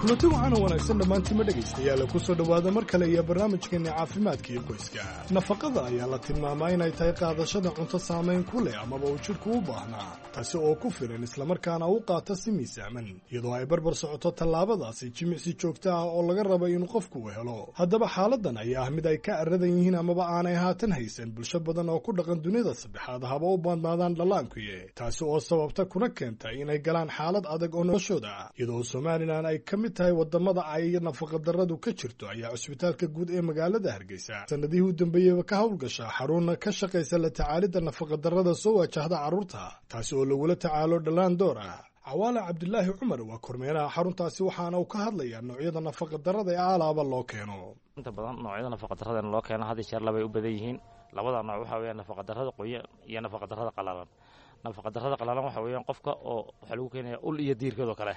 Kulanti waxaana wanaagsan dhammaantiima dhegaystayaal, ku soo dhowaada mar kale iyo barnaamijkeenna caafimaadka iyo qoyska. Nafaqada ayaa la tilmaamaa inay tahay qaadashada cunto saamayn ku leh amaba uu jidhku u baahnaa, taasi oo ku filan islamarkaana u qaata si miisaaman, iyadoo ay barbar socoto tallaabadaasi jimicsi joogto ah oo laga rabo inuu qofku u helo. Haddaba xaaladan ayaa ah mid ay ka aradan yihiin amaba aanay haatan haysan bulsho badan oo ku dhaqan dunida saddexaad, haba u badnaadaan dhallaankuye, taasi oo sababta kuna keenta inay galaan xaalad adag oo noloshooda ah. Iyadoo Somalilan ay ka mid tahay wadamada ay nafaqadarradu ka jirto, ayaa cusbitaalka guud ee magaalada Hargeysa sanadihii u dambeeyeyba ka howlgasha xarun ka shaqaysa la tacaalidda nafaqadarrada soo wajahda carruurta, taasi oo lagula tacaalo dhallaan door ah. Cawaale Cabdilaahi Cumar waa kormeeraha xaruntaasi, waxaana uu ka hadlayaa noocyada nafaqadarrada ee alaaba loo keeno.
Inta badan noocyada nafaqadarrada loo keeno had iyo jeer labay u badan yihiin. Labada nooc waxaa weeyaan nafaqadarrada qoyan iyo nafaqadarrada qalalan. Nafaqadarrada qalalan waxa weeyaan qofka oo waxaa lagu keenayaa ul iyo diirkeed oo kale.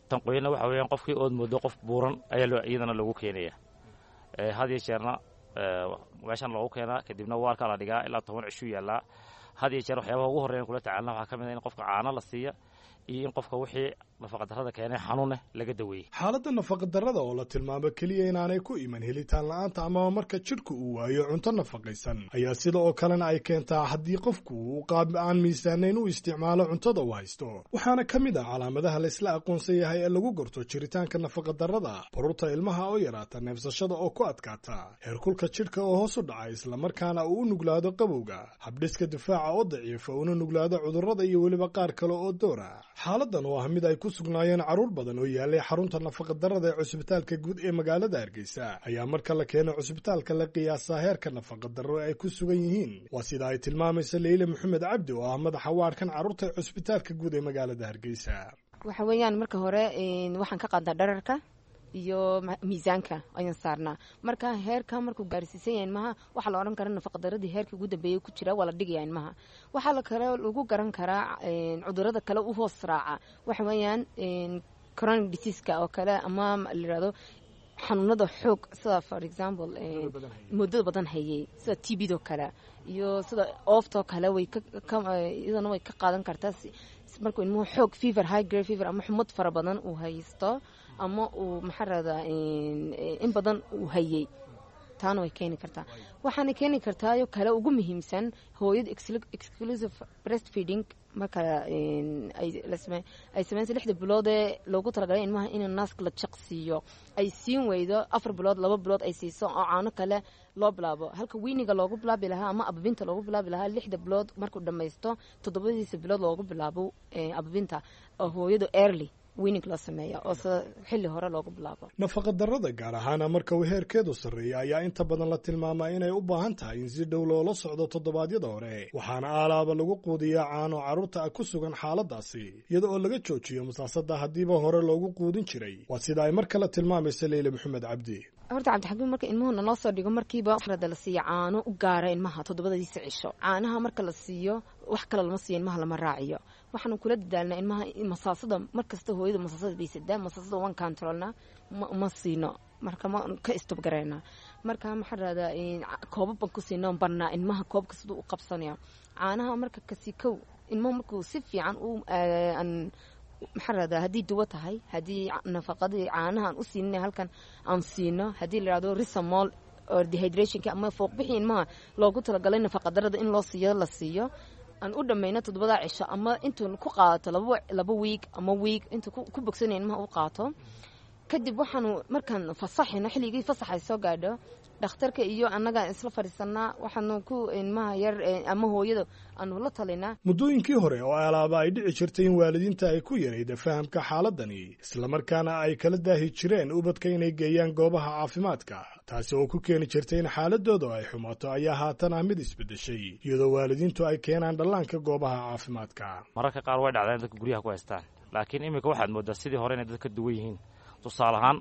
Tan qoyanna waxa weeyaan qofkii ood moodo qof buuran ayaa loo iyadana loogu keenaya. Had iyo jeerna meeshan loogu keenaa, kadibna waarkaa la dhigaa ilaa 10 cishuu yaallaa. Had iyo jeer waxyaabaha ugu horreeyan kula tacaalna waxaa ka mid ah in qofka caano la siiya iyo in qofka wixii nafaqadarrada keenay xanuuneh laga daweeyey.
Xaaladda nafaqadarrada oo la tilmaamo keliya inaanay ku iman helitaan la'aanta amaba marka jidhku uu waayo cunto nafaqaysan, ayaa sida oo kalena ay keentaa haddii qofku uu qaab aan miisaanayn u isticmaalo cuntada uu haysto. Waxaana ka mid ah calaamadaha laysla aqoonsan yahay ee lagu garto jiritaanka nafaqadarrada baruurta ilmaha oo yaraata, neefsashada oo ku adkaata, heerkulka jidhka oo hoos u dhaca islamarkaana uu u nuglaado qabowga, habdhiska difaaca oo daciifa una nuglaado cudurrada iyo weliba qaar kale oo doora. Xaaladan oo ah mid ay ku sugnaayeen carruur badan oo yaalay xarunta nafaqadarrada ee cusbitaalka guud ee magaalada Hargeysa, ayaa marka la keeno cusbitaalka la qiyaasaa heerka nafaqadarro ee ay ku sugan yihiin. Waa sida ay tilmaamaysa Leyle Maxamed Cabdi oo ah madaxa waarkan carruurta ee cusbitaalka guud ee magaalada Hargeysa.
Waxa weeyaan marka hore waxaan ka qaadnaa dhererka iyo miisaanka ayaan saarnaa. Marka heerka markuu gaarsiisan yahay ilmaha, waxaa la odhan karaa nafaqadaradii heerkii ugu dambeeyay ku jira waa la dhigaya ilmaha. Waxaa la kale lagu garan karaa cudurada kale u hoos raaca, waxa weeyaan chronic diseaseka oo kale ama la yirahdo xanuunada xoog, sida for example muddada badan hayay, sida TB-do kale iyo sida ooftoo kale, way iyadana way ka qaadan kartaa markuu ilmuhu xoog fever, high grade fever ama xumad fara badan uu haysto ama uu maxaa rahdaa in badan uu hayay, taana way keeni kartaa. Waxaana keeni kartaayo kale ugu muhiimsan hooyada exclusive breastfeeding marka ay sameynsa 6da bilood ee loogu talagalay ilmaha in naaska la jaqsiiyo ay siin weydo, 4 bilood, 2 bilood ay siiso oo caano kale loo bilaabo, halka weaninga loogu bilaabi lahaa ama ababinta loogu bilaabi lahaa 6da bilood markuu dhammaysto, toddobadiisa bilood loogu bilaabo ababinta, oo hooyadu early weaning loo sameeya oo sida xilli hore loogu bilaabo.
Nafaqadarrada, gaar ahaana marka uu heerkeedu sarreeya, ayaa inta badan la tilmaamaa inay u baahan tahay in si dhow loola socdo toddobaadyada hore. Waxaana aalaaba lagu quudiyaa caano carruurta ku sugan xaaladaasi, iyada oo laga joojiyo masaasada haddiiba hore loogu quudin jiray. Waa sida ay mar kale tilmaamaysa Leyle Maxamed Cabdi.
Horta Cabdixakiim, marka ilmuhu naloo soo dhigo, markiiba rada la siiyo caano u gaara ilmaha toddobadiisa cisho. Caanaha marka la siiyo, wax kale lama siiyo ilmaha, lama raaciyo. Waxaanu kula dadaalnaa ilmaha masaasada markasta hooyada masaasada baysadaa, masaasada waan controlnaa, ma siino, marka ma ka stop garaynaa. Marka maxaa rahdaa koobab baan ku siinaa, barnaa ilmaha koobka siduu u qabsanaya caanaha. Marka kasi kow ilmuhu markuu si fiican u maxaa rahdaa, haddii duwo tahay, haddii nafaqadii caanaha aan u siinay halkan aan siino, haddii la yidhahdo risamol or dehydrationka ama fooqbixii ilmaha loogu talagalay nafaqadarada in loo siiyo la siiyo, aan u dhammayno toddobadaa cisho ama intuu ku qaadato 2 week ama week intuu ku bogsanaya ilmaha u qaato. Kadib waxaanu markaan fasaxayno, xilligii fasaxay soo gaadho, dhakhtarka iyo annaga isla fadhiisanaa, waxaanu ku ilmaha yar ama hooyada aanu la talinaa.
Muddooyinkii hore oo alaaba ay dhici jirtay in waalidiinta ay ku yarayda fahamka xaaladani, islamarkaana ay kala daahi jireen ubadka inay geeyaan goobaha caafimaadka, taasi oo ku keeni jirtay in xaaladooda ay xumaato, ayaa haatan ah mid isbeddeshay, iyadoo waalidiintu ay keenaan dhallaanka goobaha caafimaadka.
Mararka qaar way dhacdaan dadka guryaha ku haystaan, laakiin iminka waxaad mooddaa sidii hore inay dadka duwan yihiin. Tusaale ahaan,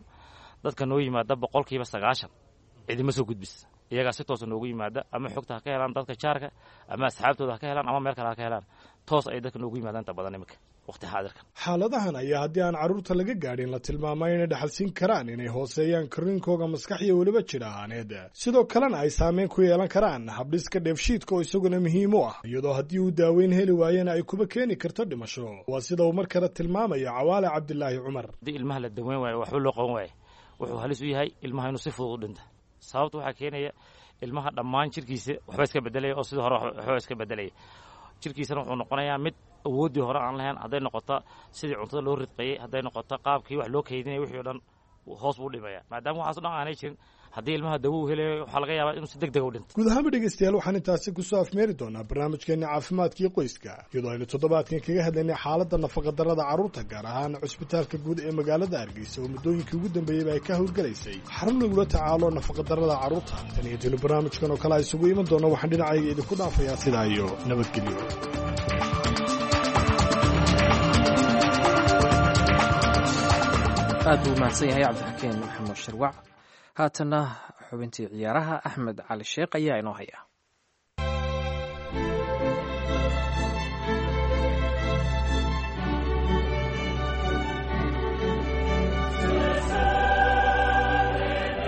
dadka noo yimaada 90% cidima soo gudbis, iyagaa si toosa noogu yimaada, ama xogta ha ka helaan dadka jaarka ama asxaabtooda ha ka helaan ama meel kale ha ka helaan, toos ay dadka noogu yimaadaan inta badan iminka. Waqti xaadirkan
Xaaladahan ayaa haddii aan carruurta laga gaadhin la tilmaamay inay dhaxalsiin karaan inay hooseeyaan korriinkooga maskax iyo weliba jir ahaaneed, sidoo kalena ay saameyn ku yeelan karaan habdhiska dheefshiidka oo isaguna muhiim u ah, iyadoo haddii uu daaweyn heli waayana ay kuba keeni karto dhimasho. Waa sida uu mar kale tilmaamayo Cawaale Cabdilaahi Cumar.
Haddii ilmaha la daweyn waayo, waxba loo qaban waayo, wuxuu halis u yahay ilmaha inuu si fudud u dhinta. Sababta waxaa keenaya ilmaha dhammaan jirkiisa waxba iska bedelaya, oo sidii hore waxba iska bedelaya. Jirkiisana wuxuu noqonayaa mid awooddii hore aan lahayn, hadday noqoto sidii cuntada loo ridqayey, hadday noqoto qaabkii wax loo kaydinaya, wixii o dhan hoos buu dhimaya. Maadaama waxaas o dhan aanay jirin, haddii ilmaha dawo uu helayo, waxaa laga yaabaa inuu si deg dega u dhinto.
Guud ahaanba dhegeystayaal, waxaan intaasi kusoo afmeeri doonaa barnaamijkeenna caafimaadkii qoyska, iyadoo aynu toddobaadkan kaga hadlaynay xaaladda nafaqadarrada carruurta, gaar ahaan cusbitaalka guud ee magaalada Hargeysa oo muddooyinkii ugu dambeeyeyba ay ka howlgalaysay xarun lagula tacaalo nafaqadarrada carruurta. Tan iyo tilo barnaamijkan oo kale isugu iman doono, waxaan dhinacayga idinku dhaafayaa sidaa iyo nabadgelyo.
Aad buu umahadsan yahay Cabdixakiin Maxamed Shirwac. Haatanna xubintii ciyaaraha, Axmed Cali Sheekh ayaa inoo haya.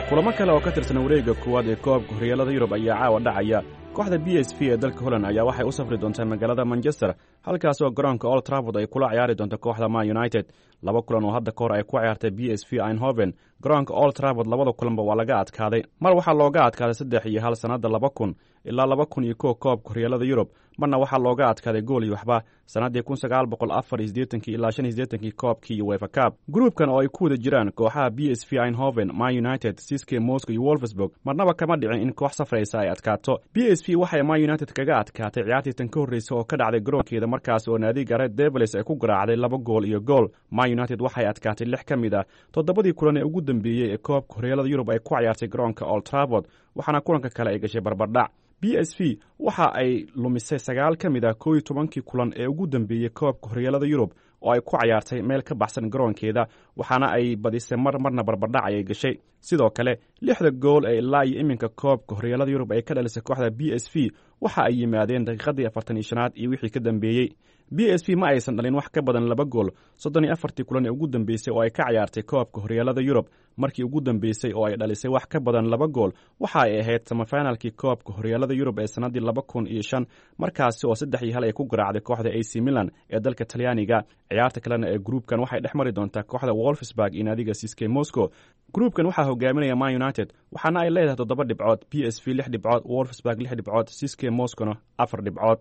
Kulamo kale oo ka tirsan wareegga koowaad ee koobka horyaalada Yurub ayaa caawa dhacaya. Kooxda PSV ee dalka Holland ayaa waxay u safri doontaa magaalada Manchester, halkaas oo garoonka Old Trafford ay kula ciyaari doonto kooxda Man United. Laba kulan oo hadda ka hor ay ku ciyaartay PSV Eindhoven garoonka Old Trafford, labada kulanba waa laga adkaaday. Mar waxaa looga adkaaday 3-1 sannadda 2000 ilaa 2001 koobka horyaalada Yurub, marna waxaa looga adkaaday gool iyo waxba sannaddii 1984-kii ilaa 85-kii koobkii UEFA Cup. Gruubkan oo ay ku wada jiraan kooxaha PSV Eindhoven, Man United, CSKA Moscow iyo Wolfsburg, marnaba kama dhicin in koox safraysa ay adkaato. PSV waxay Man United kaga adkaatay ciyaartii tan ka horreysa oo ka dhacday garoonkeeda, markaas oo naadiga Red Devils ay ku garaacday 2 gool iyo gool. Man United waxay adkaatay lix ka mid ah toddobadii kulan ee ugu dambeeyey ee koobka horyaalada Yurub ay ku ciyaartay garoonka Old Trafford, waxaana kulanka kale ay gashay barbardhac. PSV waxa ay lumisay sagaal ka mid ah 11-kii kulan ee ugu dambeeyey koobka horyaalada Yurub oo ay ku cayaartay meel ka baxsan garoonkeeda, waxaana ay badisay mar, marna barbardhac ayay gashay. Sidoo kale, lixda gool ee ilaa iyo iminka koobka horyaalada Yurub ay ka dhalisay kooxda PSV waxa ay yimaadeen daqiiqadii 45aad iyo wixii ka dambeeyey. PSV ma aysan dhalin wax ka badan laba gool 34-tii kulan ee ugu dambeysay oo ay ka ciyaartay koobka horyaalada Yurub. Markii ugu dambeysay oo ay dhalisay wax ka badan laba gool waxa ay ahayd semifinalkii koobka horyaalada Yurub ee sannaddii 2005, markaasi oo 3-1 ay ku garaacday kooxda AC Milan ee dalka Talyaaniga. Ciyaarta kalena ee gruubkan waxay dhex mari doontaa kooxda Wolfsburg iyo naadiga CSKA Moscow. Gruubkan waxaa hogaaminaya Man United, waxaana ay leedahay toddoba dhibcood, PSV lix dhibcood, Wolfsburg lix dhibcood, CSKA Moscowna afar dhibcood.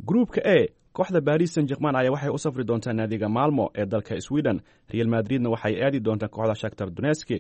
Gruubka A, kooxda Paris Saint Germain ayaa waxay u safri doontaa naadiga Malmo ee dalka Sweden, Real Madridna waxay aadi doontaa kooxda Shakhtar Donetsk.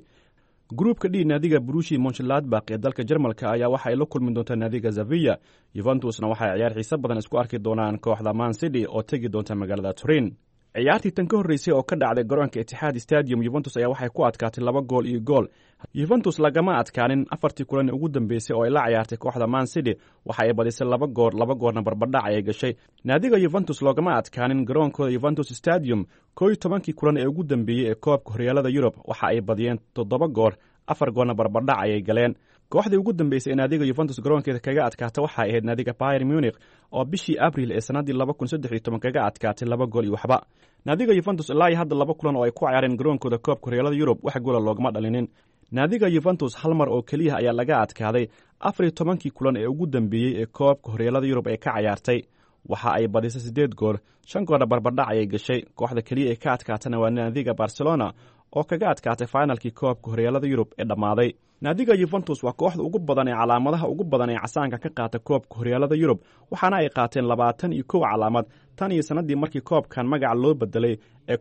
Gruubka D, naadiga Borussia Mönchengladbach ee dalka Jarmalka ayaa waxa ay la kulmi doontaa naadiga Sevilla, Juventusna waxay ciyaar xiise badan isku arki doonaan kooxda Man City oo tegi doonta magaalada Turin. Ciyaartii tan ka horreysay oo ka dhacday garoonka Etihad Stadium, Juventus ayaa waxay ku adkaatay 2 gool iyo gool. Juventus lagama adkaanin afartii kulan ee ugu dambeysay oo ay la ciyaartay kooxda Man City. Waxa ay badisay laba goor, laba goorna barbardhac ayay gashay. Naadiga Juventus loogama adkaanin garoonkooda Juventus Stadium 11-kii kulan ee ugu dambeeyey ee koobka horyaalada Yurub. Waxa ay badiyeen toddoba goor, afar goorna barbardhac ayay galeen. Kooxdii ugu dambeysay ee naadiga Juventus garoonkeeda kaga adkaata waxay ahayd naadiga Bayern Munich oo bishii Abril ee sannaddii 2013 kaga adkaatay 2 gool iyo waxba. Naadiga Juventus ilaa iyo hadda laba kulan oo ay ku ciyaareen garoonkooda koobka horyaalada Yurub wax goola loogama dhalinin. Naadiga Juventus hal mar oo keliya ayaa laga adkaaday 14-kii kulan ee ugu dambeeyey ee koobka horyaalada Yurub ee ka cayaartay. Waxa ay badisay siddeed goor, shan goorna barbardhac ayay gashay. Kooxda keliya ee ka adkaatana waa naadiga Barcelona oo kaga adkaatay finalkii koobka horyaalada Yurub ee dhammaaday. Naadiga Juventus waa kooxda ugu badan ee calaamadaha ugu badan ee casaanka ka qaata koobka horyaalada Yurub, waxaana ay qaateen 21 calaamad tan iyo sannaddii markii koobkan magaca loo bedelay ee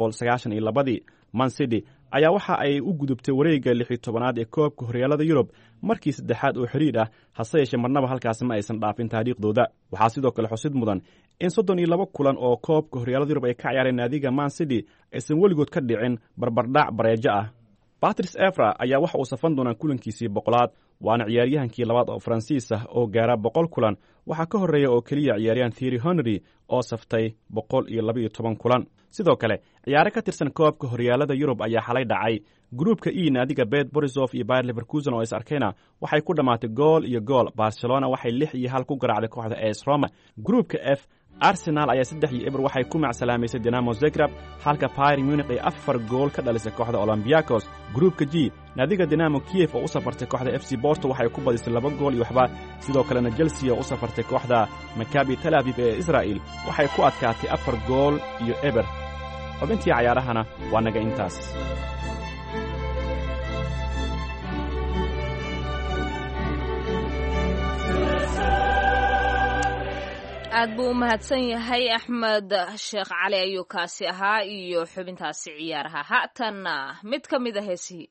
1992-dii. Man City ayaa waxa ay u gudubtay wareegga 16-aad ee koobka horyaalada Yurub markii saddexaad oo xidhiidh ah, hase yeeshee marnaba halkaasi ma aysan dhaafin taariikhdooda. Waxaa sidoo kale xusid mudan in 32 kulan oo koobka horyaalada Yurub ay ka ciyaareen naadiga Man City aysan weligood ka dhicin barbardhac bareejo ah. Patrice Evra ayaa waxa uu safan doonaa kulankiisii 100-aad, waana ciyaaryahankii labaad oo Faransiis ah oo gaara 100 kulan. Waxaa ka horreeya oo keliya ciyaaryahan Thierry Henry oo saftay 112 kulan. Sidoo kale, ciyaaro ka tirsan koobka horyaalada Yurub ayaa xalay dhacay. Gruubka E, naadiga Bet Borisov iyo Bayer Leverkusen oo is arkayna waxay ku dhammaatay gool iyo gool. Barcelona waxay 6-1 ku garaacday kooxda AS Roma. Gruubka F, Arsenal ayaa 3-0 waxay ku macsalaamaysay Dinamo Zagreb, halka Bayern Munich ay 4 gool ka dhalisay kooxda Olympiacos. Gruupka G, naadiga Dinamo Kiev oo u safartay kooxda FC Porto waxay ku badisay 2 gool iyo waxba. Sidoo kalena Chelsea oo u safartay kooxda Maccabi Tel Aviv ee Israa'il waxay ku adkaatay 4 gool iyo 0. Xubintii cayaarahana waa naga intaas.
Aad buu u mahadsan yahay Axmed Sheekh Cali ayuu kaasi ahaa iyo xubintaasi ciyaaraha. Haatanna mid ka mid a heesihii.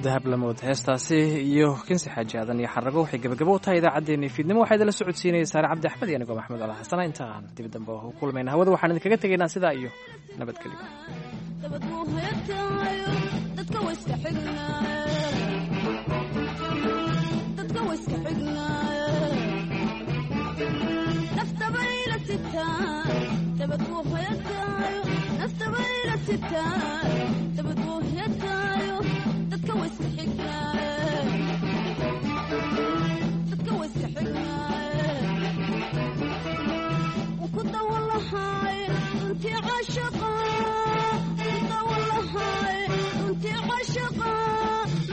Dahab lamood heestaasi iyo Kinsi Xaaji Aadan iyo Xarago waxay gabagabo u tahay idaacaddeenii fiidnimo. Waxaa idinla socodsiinaya Saare Cabdi Axmed iyo anigoo Maxamed Ala Xasana. Inta aan dib dambe u kulmayna hawada, waxaan idinkaga tegaynaa sidaa iyo nabadgelyo.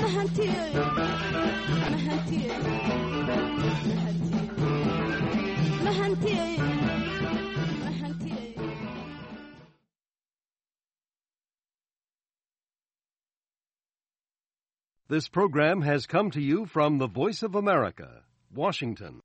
Mahantiye. Mahantiyey, mahantiyey.
This program has come to you from the Voice of America, Washington.